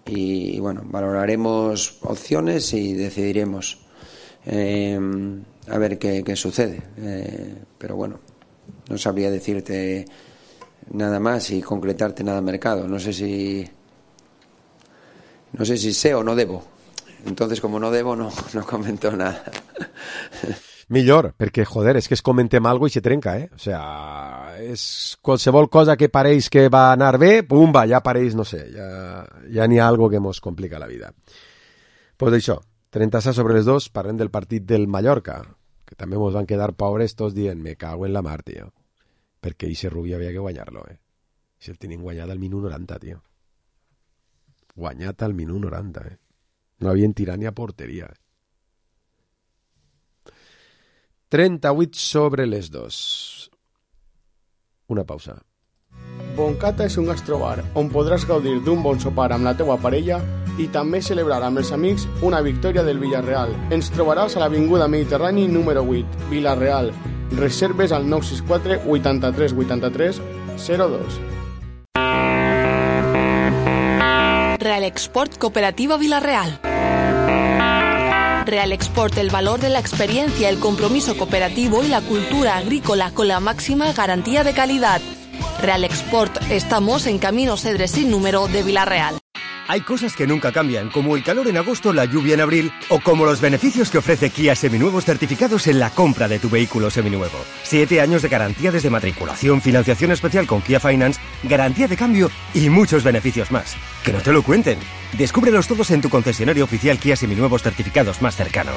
Y bueno, valoraremos opciones y decidiremos a ver qué sucede. Pero bueno, no sabría decirte nada más y concretarte nada mercado. No sé si sé o no debo. Entonces, como no debo, no comento nada. Millor, perquè, joder, és que es comentem algo i se trenca, O sea, és qualsevol cosa que pareix que va anar bé, pumba, ja pareix, no sé, ja n'hi ha algo que mos complica la vida. Pues això, 36 sobre les 2, parlem del partit del Mallorca, que també mos van quedar pobres tots dient, me cago en la mar, tio. Perquè ese Rubí havia que guanyar-lo, Si el tenien guanyat al minut 90, tio. Guanyat al minut 90, No havien tirat ni a porteria, 38 sobre les 2. Una pausa. Boncata és un gastrobar on podràs gaudir d'un bon sopar amb la teua parella i també celebrar amb els amics una victòria del Villarreal. Ens trobaràs a l'Avinguda Mediterrani número 8, Villarreal. Reserves al 964 83 83 02. Real Export Cooperativa Villarreal. Real Export, el valor de la experiencia, el compromiso cooperativo y la cultura agrícola con la máxima garantía de calidad. Real Export, estamos en Camino Cedres sin número de Villarreal. Hay cosas que nunca cambian, como el calor en agosto, la lluvia en abril, o como los beneficios que ofrece Kia Seminuevos certificados en la compra de tu vehículo seminuevo. 7 años de garantía desde matriculación, financiación especial con Kia Finance, garantía de cambio y muchos beneficios más. ¡Que no te lo cuenten! Descúbrelos todos en tu concesionario oficial Kia Seminuevos certificados más cercano.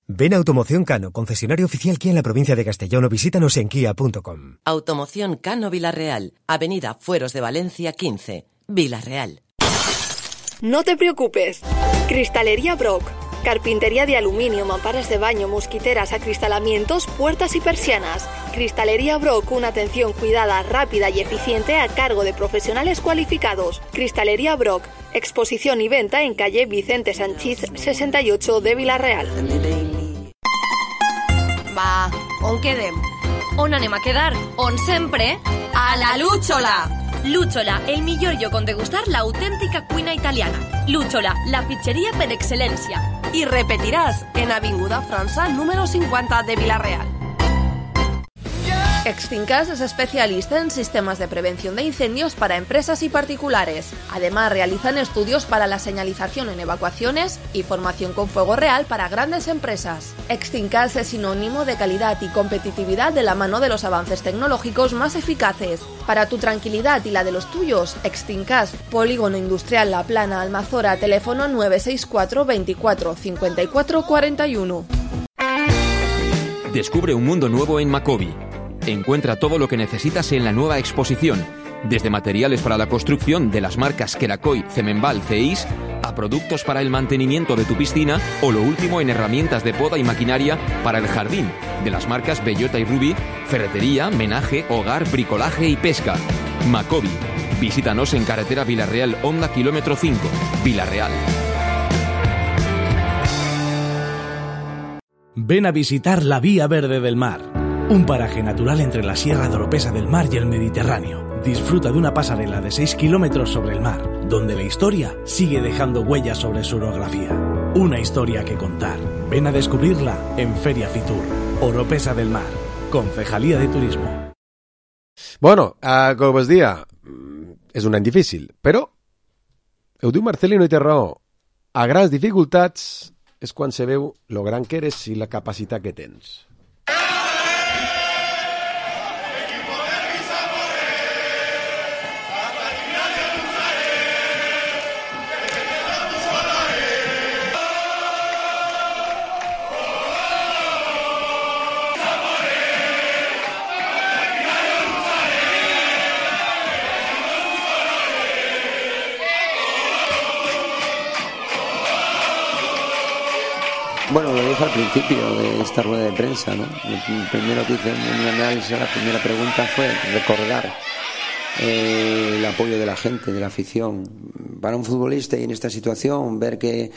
Ven a Automoción Cano, concesionario oficial Kia en la provincia de Castellón, o visítanos en kia.com. Automoción Cano Villarreal, Avenida Fueros de Valencia 15, Villarreal. No te preocupes. Cristalería Brock. Carpintería de aluminio, mamparas de baño, mosquiteras, acristalamientos, puertas y persianas. Cristalería Brock, una atención cuidada, rápida y eficiente a cargo de profesionales cualificados. Cristalería Brock. Exposición y venta en calle Vicente Sanchís 68 de Villarreal. Va, on quedem? On anem a quedar? On sempre? A la Lúchola! Lúchola, el millor lloc on degustar l'autèntica cuina italiana. Lúchola, la pizzeria per excel·lència. Y repetirás en Avinguda França número 50 de Villarreal. Extincas es especialista en sistemas de prevención de incendios para empresas y particulares. Además, realizan estudios para la señalización en evacuaciones y formación con fuego real para grandes empresas. Extincas es sinónimo de calidad y competitividad de la mano de los avances tecnológicos más eficaces. Para tu tranquilidad y la de los tuyos, Extincas, Polígono Industrial La Plana, Almazora, teléfono 964 24 54 41. Descubre un mundo nuevo en Macobi. Encuentra todo lo que necesitas en la nueva exposición, desde materiales para la construcción de las marcas Kerakoy, Cemenbal, Ceis, a productos para el mantenimiento de tu piscina o lo último en herramientas de poda y maquinaria para el jardín, de las marcas Bellota y Ruby, ferretería, menaje, hogar, bricolaje y pesca. Macobi. Visítanos en carretera Villarreal Honda kilómetro 5, Villarreal. Ven a visitar la Vía Verde del Mar. Un paraje natural entre la Sierra de Oropesa del Mar y el Mediterráneo. Disfruta de una pasarela de 6 kilómetros sobre el mar, donde la historia sigue dejando huellas sobre su orografía. Una historia que contar. Ven a descubrirla en Feria Fitur, Oropesa del Mar, Concejalía de Turismo. Bueno, com us dia, és un any difícil, però ho diu Marcelino i té raó. A grans dificultats és quan se veu lo gran que eres i la capacitat que tens. Bueno, lo dije al principio de esta rueda de prensa, ¿no? Lo primero que hice en un análisis, la primera pregunta fue recordar el apoyo de la gente, de la afición. Para un futbolista y en esta situación, ver que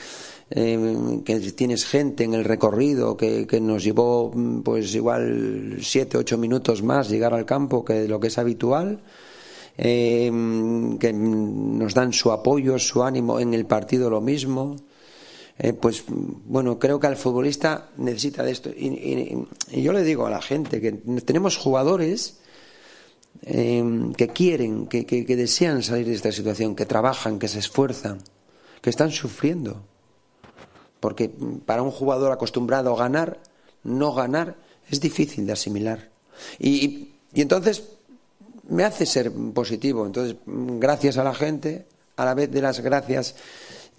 tienes gente en el recorrido que nos llevó pues igual 7-8 minutos más llegar al campo que lo que es habitual, que nos dan su apoyo, su ánimo en el partido, lo mismo. Pues bueno, creo que el futbolista necesita de esto y yo le digo a la gente que tenemos jugadores que quieren, que desean salir de esta situación, que trabajan, que se esfuerzan, que están sufriendo, porque para un jugador acostumbrado a ganar, no ganar es difícil de asimilar y entonces me hace ser positivo. Entonces, gracias a la gente, a la vez de las gracias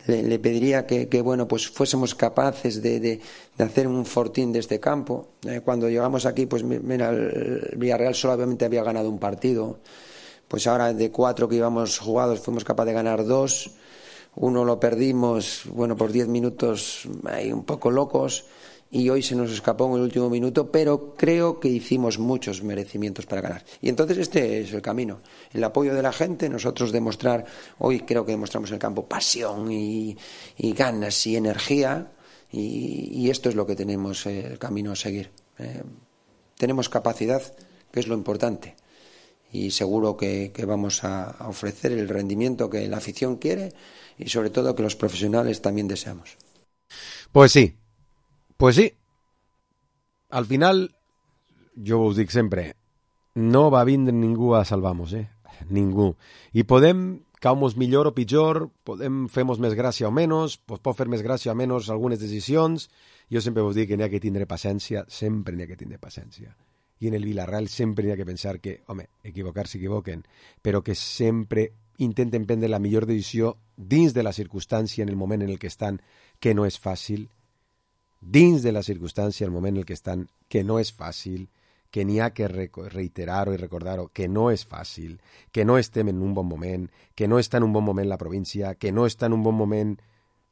le pediría que bueno, pues fuésemos capaces de hacer un fortín de este campo. Cuando llegamos aquí, pues mira, el Villarreal solamente había ganado un partido. Pues ahora de 4 que íbamos jugados fuimos capaces de ganar 2. Uno lo perdimos, bueno, por 10 minutos ahí un poco locos. Y hoy se nos escapó en el último minuto, pero creo que hicimos muchos merecimientos para ganar. Y entonces este es el camino. El apoyo de la gente, nosotros demostrar, hoy creo que demostramos en el campo pasión y ganas y energía, y esto es lo que tenemos el camino a seguir. Tenemos capacidad, que es lo importante, y seguro que vamos a ofrecer el rendimiento que la afición quiere y sobre todo que los profesionales también deseamos. Pues sí. Pues sí, al final, jo us dic sempre, no va vindre ningú a salvar-nos, ningú. I podem caure-nos millor o pitjor, podem fer-nos més gràcia o menys, pot fer més gràcia o menys algunes decisions. Jo sempre us dic que n'hi ha que tindre paciència, sempre n'hi ha que tindre paciència. I en el Villarreal sempre n'hi ha que pensar que, home, equivocar s'equivoquen, però que sempre intenten prendre la millor decisió dins de la circumstància en el moment en el que estan, que no és fàcil, dins de la circumstància, el moment en el que estan, que no és fàcil, que n'hi ha que reiterar-ho i recordar-ho, que no és fàcil, que no estem en un bon moment, que no està en un bon moment la província, que no està en un bon moment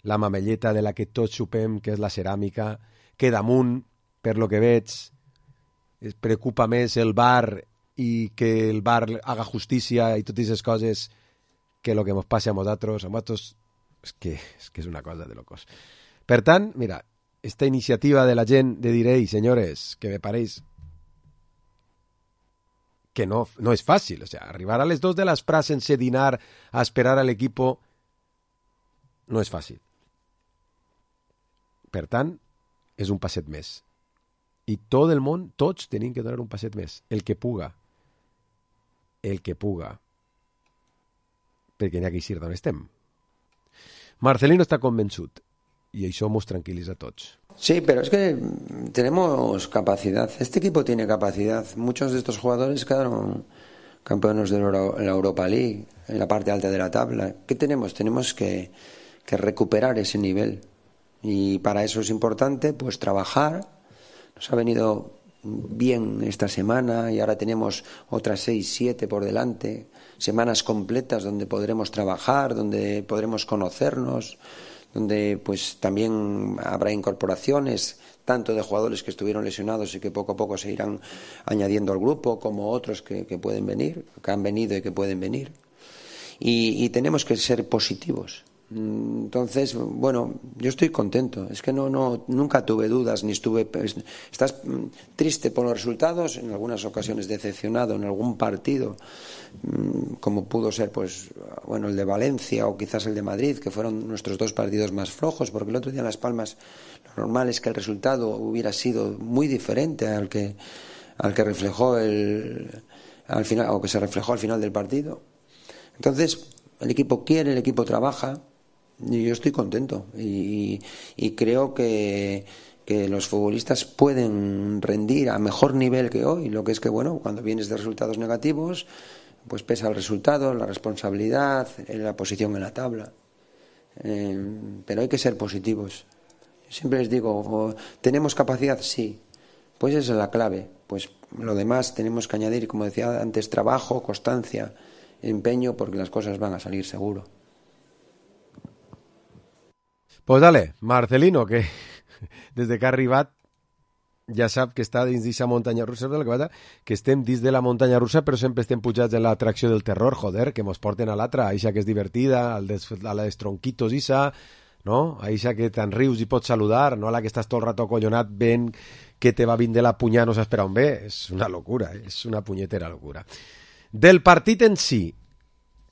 la mamelleta de la que tots xupem, que és la ceràmica, que damunt, per lo que veig, es preocupa més el bar i que el bar haga justícia i totes aquestes coses que lo que ens passa a nosaltres. És que és una cosa de locos. Per tant, mira, esta iniciativa de la gent de dir, ei, senyores, que me pareix que no és fàcil. O sea, arribar a les 2 de l'espre sense dinar a esperar a l'equipo no és fàcil. Per tant, és un passet més. I tot el món, tots tenim que donar un passet més. El que puga. El que puga. Perquè n'hi ha que eixir d'on estem. Marcelino està convençut. Y eso nos tranquiliza a todos. Sí, pero es que tenemos capacidad. Este equipo tiene capacidad. Muchos de estos jugadores quedaron campeones de la Europa League, en la parte alta de la tabla. ¿Qué tenemos? Tenemos que recuperar ese nivel. Y para eso es importante pues trabajar. Nos ha venido bien esta semana y ahora tenemos otras 6-7 por delante. Semanas completas donde podremos trabajar, donde podremos conocernos, donde pues también habrá incorporaciones tanto de jugadores que estuvieron lesionados y que poco a poco se irán añadiendo al grupo, como otros que pueden venir, que han venido y que pueden venir. Y tenemos que ser positivos. Entonces, bueno, yo estoy contento. Es que nunca tuve dudas ni estuve... Estás triste por los resultados, en algunas ocasiones decepcionado en algún partido, como pudo ser pues bueno el de Valencia o quizás el de Madrid, que fueron nuestros 2 partidos más flojos, porque el otro día en Las Palmas lo normal es que el resultado hubiera sido muy diferente al que reflejó al final, o que se reflejó al final del partido. Entonces, el equipo quiere, el equipo trabaja, y yo estoy contento y creo que los futbolistas pueden rendir a mejor nivel que hoy. Lo que es que, bueno, cuando vienes de resultados negativos, pues pesa el resultado, la responsabilidad, la posición en la tabla. Pero hay que ser positivos. Siempre les digo, ¿tenemos capacidad? Sí. Pues esa es la clave. Pues lo demás tenemos que añadir, como decía antes, trabajo, constancia, empeño, porque las cosas van a salir seguro. Pues dale, Marcelino, que des de que ha arribat ja sap que està dins d'aquesta muntanya russa, que estem dins de la muntanya russa però sempre estem pujats en l'atracció del terror, joder, que mos porten a l'altra, a eixa que és divertida, a les tronquitos isa, no? A eixa que te'n rius i pots saludar, no a la que estàs tot el rato acollonat ben que te va vindre la punyà no saps per on ve, és una locura, és una punyetera locura. Del partit en si,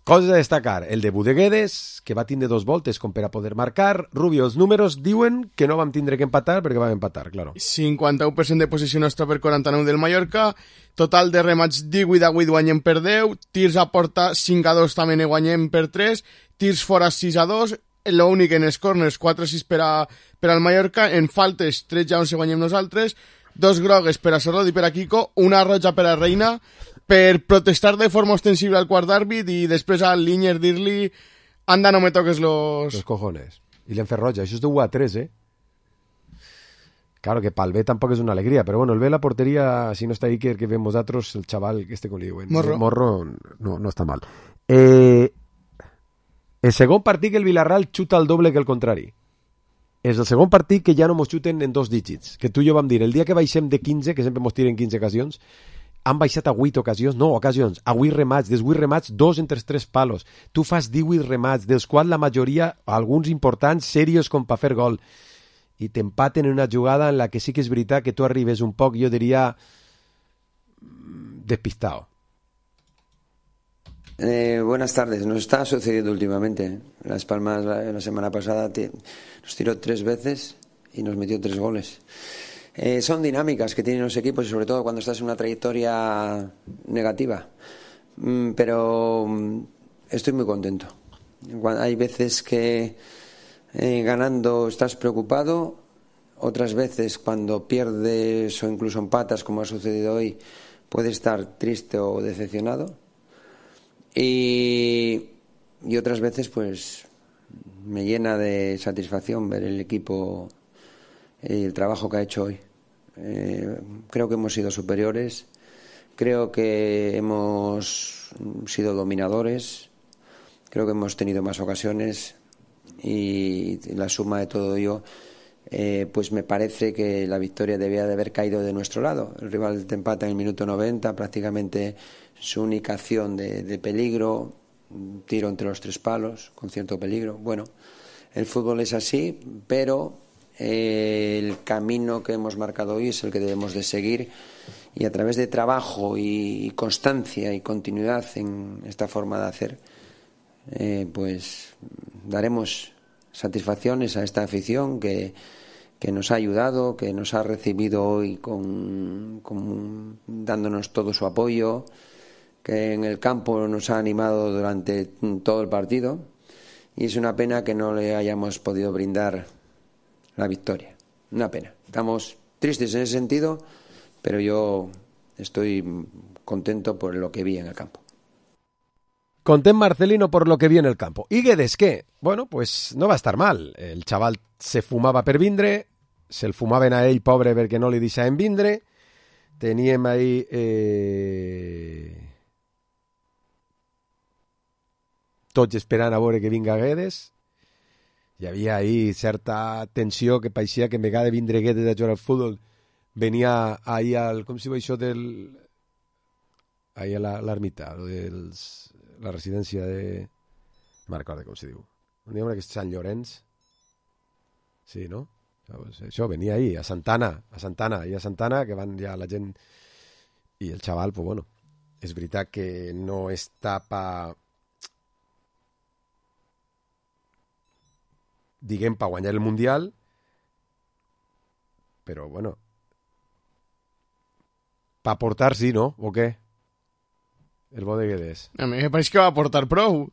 coses a destacar, el debut de Guedes, que va tindre 2 voltes com per a poder marcar. Rubio, els números diuen que no vam tindre que empatar perquè vam empatar, claro. 51% de posició nostra per 49 del Mallorca, total de remats 18 a 8 guanyem per 10, tirs a porta 5 a 2 també ne guanyem per 3, tirs fora 6 a 2, l'únic en els corners 4 a 6 per al Mallorca, en faltes 13 a 11 guanyem nosaltres, 2 grogues per a Serrot i per a Kiko, una roja per a Reina, per protestar de forma ostensible al quart d'àrbit i després al Linier dir-li anda, no me toques los cojones. I l'hem fet roja, això és de 1 a 3, Claro que pel B tampoc és una alegria, però bueno, el B la porteria, si no està Iker, que veiem vosaltres, el xaval, este com li diuen, Morro no està mal. El segon partit que el Villarreal xuta el doble que el contrari. És el segon partit que ja no mos xuten en 2 dígits, que tu i jo vam dir, el dia que baixem de 15, que sempre mos tiren 15 ocasions, han baixat a 8 ocasions, a 8 remats, dels 8 remats, 2 entre els 3 palos. Tu fas 18 remats, dels quals la majoria, alguns importants, serios com per fer gol. I t'empaten en una jugada en la que sí que és veritat que tu arribes un poc, jo diria, despistado. Buenas tardes. Nos está sucediendo últimamente. Las Palmas la semana pasada nos tiró 3 veces y nos metió 3 goles. Son dinámicas que tienen los equipos y sobre todo cuando estás en una trayectoria negativa. Pero estoy muy contento. Hay veces que ganando estás preocupado, otras veces cuando pierdes o incluso empatas, como ha sucedido hoy, puedes estar triste o decepcionado. Y otras veces pues me llena de satisfacción ver el equipo y el trabajo que ha hecho hoy. Creo que hemos sido superiores, creo que hemos sido dominadores, creo que hemos tenido más ocasiones y la suma de todo ello pues me parece que la victoria debía de haber caído de nuestro lado. El rival te empata en el minuto 90, prácticamente su única acción de peligro, un tiro entre los 3 palos con cierto peligro. Bueno, el fútbol es así, pero el camino que hemos marcado hoy es el que debemos de seguir y a través de trabajo y constancia y continuidad en esta forma de hacer pues daremos satisfacciones a esta afición que nos ha ayudado, que nos ha recibido hoy dándonos todo su apoyo, que en el campo nos ha animado durante todo el partido y es una pena que no le hayamos podido brindar la victoria. Una pena. Estamos tristes en ese sentido, pero yo estoy contento por lo que vi en el campo. Content Marcelino por lo que vi en el campo. ¿Y Guedes qué? Bueno, pues no va a estar mal. El chaval se fumava per vindre, se'l fumaven a ell, pobre, perquè no li deixaven vindre. Teníem ahí tots esperant a veure que vinga Guedes. Hi havia ahí certa tensió que pareixia que en vegada de vindre Guedes a jugar al futbol venia ahí al... com si diu això del... ahí a l'ermita, la residència de... no recordo com se diu. Un dia que és Sant Llorenç. Sí, no? Això venia ahí, a Santana, que van ja la gent... I el xaval, pues bueno, és veritat que no està diguem, per guanyar el Mundial, però, bueno, per portar sí, no? O què? El bo de Guedes. A mi me pareix que va portar prou.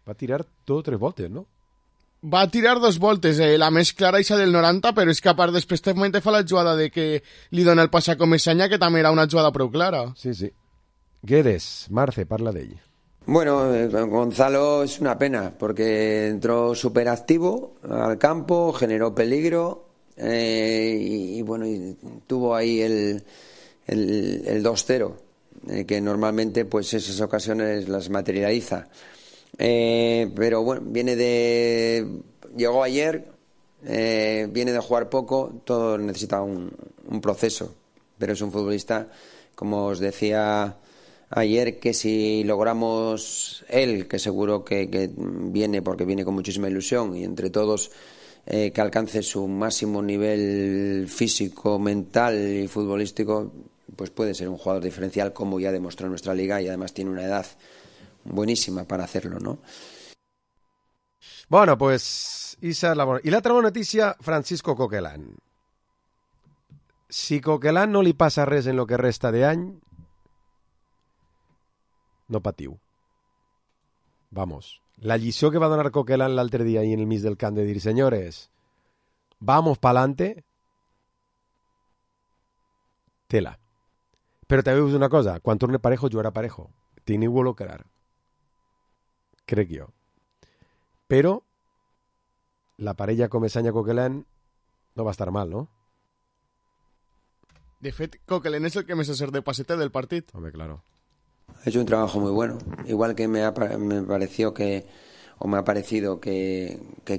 Va tirar 2 o 3 voltes, no? Va tirar 2 voltes, la més clara és del 90, però és que a part després també fa la jugada de que li dona el pas a Comesaña, que també era una jugada prou clara. Sí, sí. Guedes, Marce, parla d'ell. Bueno, Gonzalo es una pena porque entró súper activo al campo, generó peligro y bueno, y tuvo ahí el 2-0, que normalmente pues esas ocasiones las materializa. Pero bueno, llegó ayer, viene de jugar poco, todo necesita un proceso, pero es un futbolista, como os decía ayer, que si logramos él, que seguro que viene, porque viene con muchísima ilusión, y entre todos que alcance su máximo nivel físico, mental y futbolístico, pues puede ser un jugador diferencial, como ya demostró en nuestra liga, y además tiene una edad buenísima para hacerlo, ¿no? Bueno, pues esa es la buena. Y la otra buena noticia, Francisco Coquelán. Si Coquelán no li passa res en lo que resta d'any, no patiu. Vamos. La lliçó que va donar Coquelán l'altre dia ahí en el mig del camp de dir, señores, vamos pa'lante, tela. Però també us dic una cosa, quan torne Parejo, jugarà Parejo. Teniu-ho clar. Crec jo. Però la parella Comesaña-Coquelán no va estar mal, ¿no? De fet, Coquelán es el que me se hacer de pasete del partido. Hombre, claro. Ha hecho un trabajo muy bueno. Igual que me ha parecido que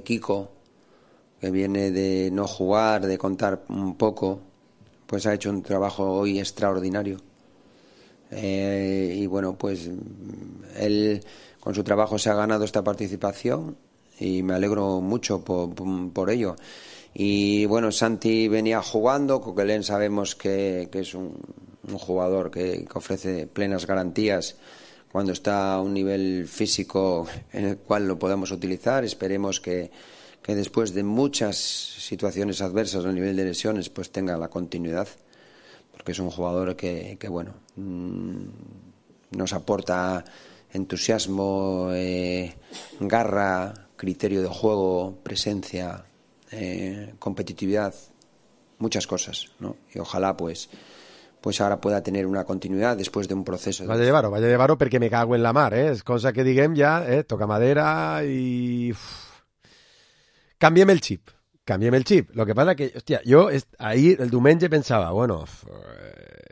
Kiko, que viene de no jugar, de contar un poco, pues ha hecho un trabajo hoy extraordinario. Y bueno, pues él con su trabajo se ha ganado esta participación y me alegro mucho por ello. Y bueno, Santi venía jugando, Coquelán sabemos que es un jugador que ofrece plenas garantías cuando está a un nivel físico en el cual lo podamos utilizar. Esperemos que después de muchas situaciones adversas a nivel de lesiones pues tenga la continuidad, porque es un jugador que bueno, nos aporta entusiasmo, garra, criterio de juego, presencia, competitividad, muchas cosas, ¿no? Y ojalá pues ahora pueda tener una continuidad después de un proceso. Vaya llevar-ho perquè me cago en la mar, és cosa que diguem ja, toca madera i... Canviem el xip. Lo que pasa que, hòstia, jo ahir el diumenge pensava, bueno,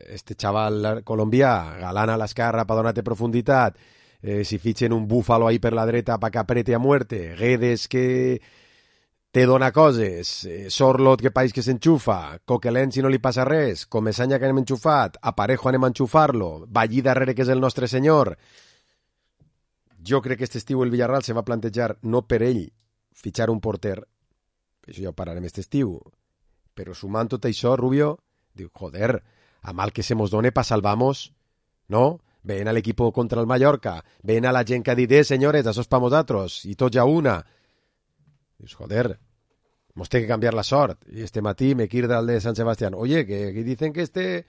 este chaval colombià galana a l'esquerra per donar-te profunditat, si fitxen un búfalo ahí per la dreta pa que aprete a muerte, Guedes que te dona coses, Sorlot que país que s'enxufa, Coquelán si no li passa res, Comesaña que anem enxufat, a Parejo anem a enxufar-lo, Ballí darrere que és el nostre senyor. Jo crec que este estiu el Villarreal se va plantejar no per ell fitxar un porter, això ja ho parlarem este estiu, però sumant tot això, Rubio, diu, joder, a mal que se mos done pa salvamos, no? Ven al equipo contra el Mallorca, ven a la gent que ha dit, senyores, això és pa nosaltres, i tots ja una. Dius, joder, mos té que cambiar la sort. Y este matí me quirda el de San Sebastián. Oye, que dicen que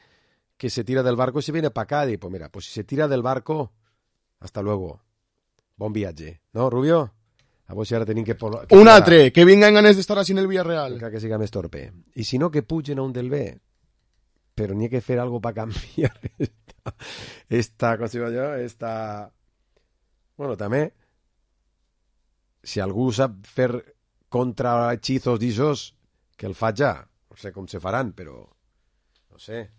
que se tira del barco y se viene para acá. Y pues mira, pues si se tira del barco, hasta luego. Bon viatge. ¿No, Rubio? A vos si ara tenim que un altre, que vinguin ganes d'estar així en el Villarreal. Que siga més torpe. I si no, que pugen a un del B. Però n'hi ha que fer algo para cambiar esta, com se diu allò, esta... Bueno, també, si algú sap fer contra hechizos d'ixos, que el fa ja. No sé com se faran, però no sé,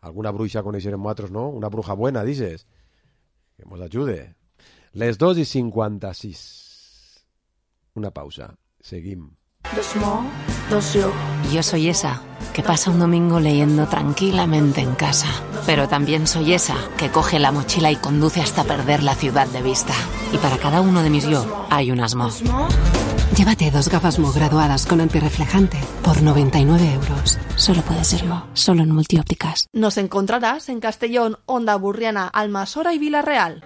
alguna bruixa coneixerem nosaltres, no? Una bruja buena, dices, que mos ajude. Les 2:56. Una pausa. Seguim. Yo soy esa que pasa un domingo leyendo tranquilamente en casa, pero también soy esa que coge la mochila y conduce hasta perder la ciudad de vista. Y para cada uno de mis yo hay un Asmo. Llévate 2 gafas Mo graduadas con antirreflejante por 99 euros. Solo puede ser Mo, solo en Multiópticas. Nos encontrarás en Castellón, Onda Burriana, Almasora y Villarreal.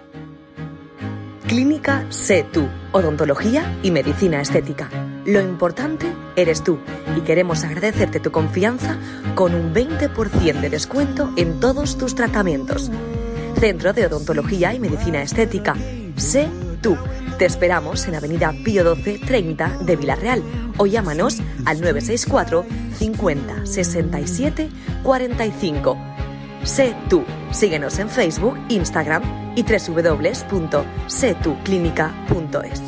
Clínica Sé Tú, odontología y medicina estética. Lo importante eres tú y queremos agradecerte tu confianza con un 20% de descuento en todos tus tratamientos. Centro de Odontología y Medicina Estética. Sé Tú. Te esperamos en Avenida Pío 12 30 de Villarreal o llámanos al 964 50 67 45. Sé Tú. Síguenos en Facebook, Instagram y www.setuclinica.es.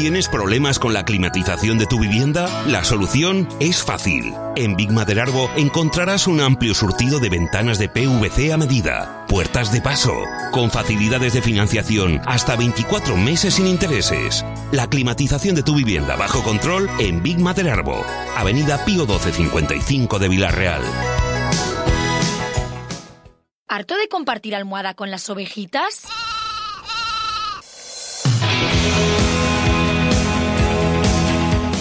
¿Tienes problemas con la climatización de tu vivienda? La solución es fácil. En Big Maderarbo encontrarás un amplio surtido de ventanas de PVC a medida, puertas de paso, con facilidades de financiación hasta 24 meses sin intereses. La climatización de tu vivienda bajo control en Big Maderarbo, Avenida Pío 1255 de Vilarreal. ¿Harto de compartir almohada con las ovejitas?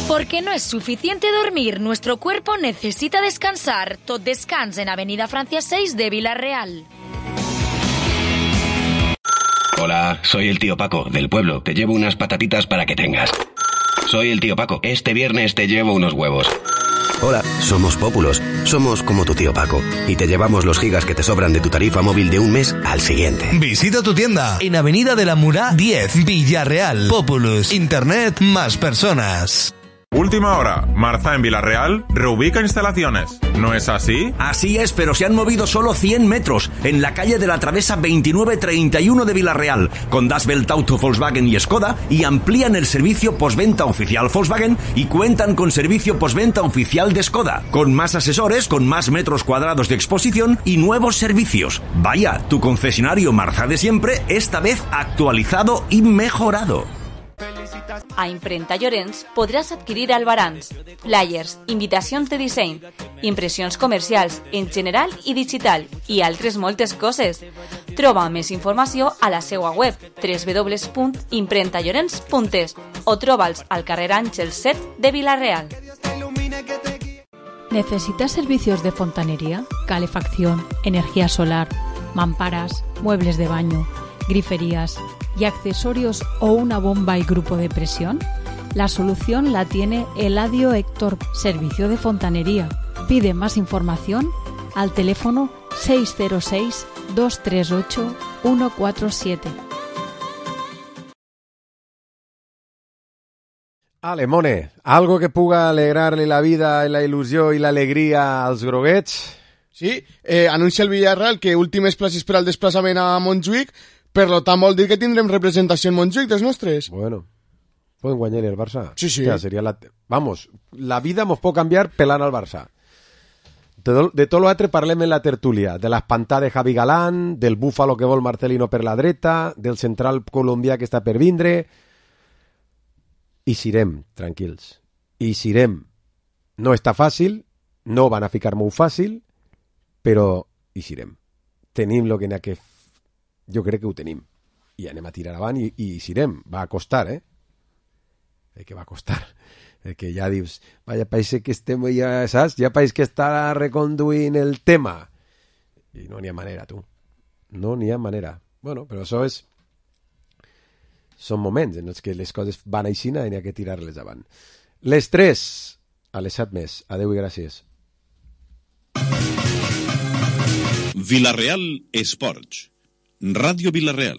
Porque no es suficiente dormir, nuestro cuerpo necesita descansar. Tot Descans en Avenida Francia 6 de Vilarreal. Hola, soy el tío Paco, del pueblo. Te llevo unas patatitas para que tengas. Soy el tío Paco. Este viernes te llevo unos huevos. Hola, somos Pópulos. Somos como tu tío Paco. Y te llevamos los gigas que te sobran de tu tarifa móvil de un mes al siguiente. Visita tu tienda en Avenida de la Murá 10, Villarreal. Populus. Internet más personas. Última hora. Marza en Vilarreal reubica instalaciones. ¿No es así? Así es, pero se han movido solo 100 metros en la calle de la Travesa 2931 de Vilarreal, con Das Welt Auto Volkswagen y Skoda, y amplían el servicio postventa oficial Volkswagen y cuentan con servicio postventa oficial de Skoda, con más asesores, con más metros cuadrados de exposición y nuevos servicios. Vaya, tu concesionario Marza de siempre, esta vez actualizado y mejorado. A Imprenta Llorenç podràs adquirir albarans, flyers, invitacions de disseny, impressions comercials en general i digital i altres moltes coses. Troba més informació a la seva web www.imprentallorenç.es o troba'ls al carrer Àngel 7 de Vilarreal. ¿Necesitas servicios de fontanería, calefacción, energía solar, mamparas, muebles de baño, griferías y accesorios o una bomba y grupo de presión? La solución la tiene Eladio Héctor, servicio de fontanería. Pide más información al teléfono 606-238-147. Alemone, algo que puga alegrarle la vida, la il·lusió i l'alegria als groguets? Sí, anuncia el Villarreal que últimes places per al desplaçament a Montjuïc. Per tant, vol dir que tindrem representació en Montjuïc dels nostres. Bueno, pueden guanyar el Barça. Sí, sí. O sea, sería Vamos, la vida mos pot canviar pelant al Barça. De tot l'altre parlem en la tertúlia. De l'espantar de Javi Galán, del búfalo que vol Marcelino per la dreta, del central colombià que està per vindre. I sirem, tranquils. I sirem. No està fàcil, no van a ficar molt fàcil, però hi sirem. Tenim lo que n'hi ha que... Jo crec que ho tenim. I anem a tirar avant i sirem. Va a costar, que va a costar. Que ja dius, vaya país que estem, ja saps? Ja país que està reconduint el tema. I no n'hi ha manera, tu. No n'hi ha manera. Bueno, però això és... Són moments en els que les coses van aixina i n'hi ha que tirar-les avant. Les 3, a les 7 més. Adeu i gràcies. Vilarreal Esports. Radio Vilarreal.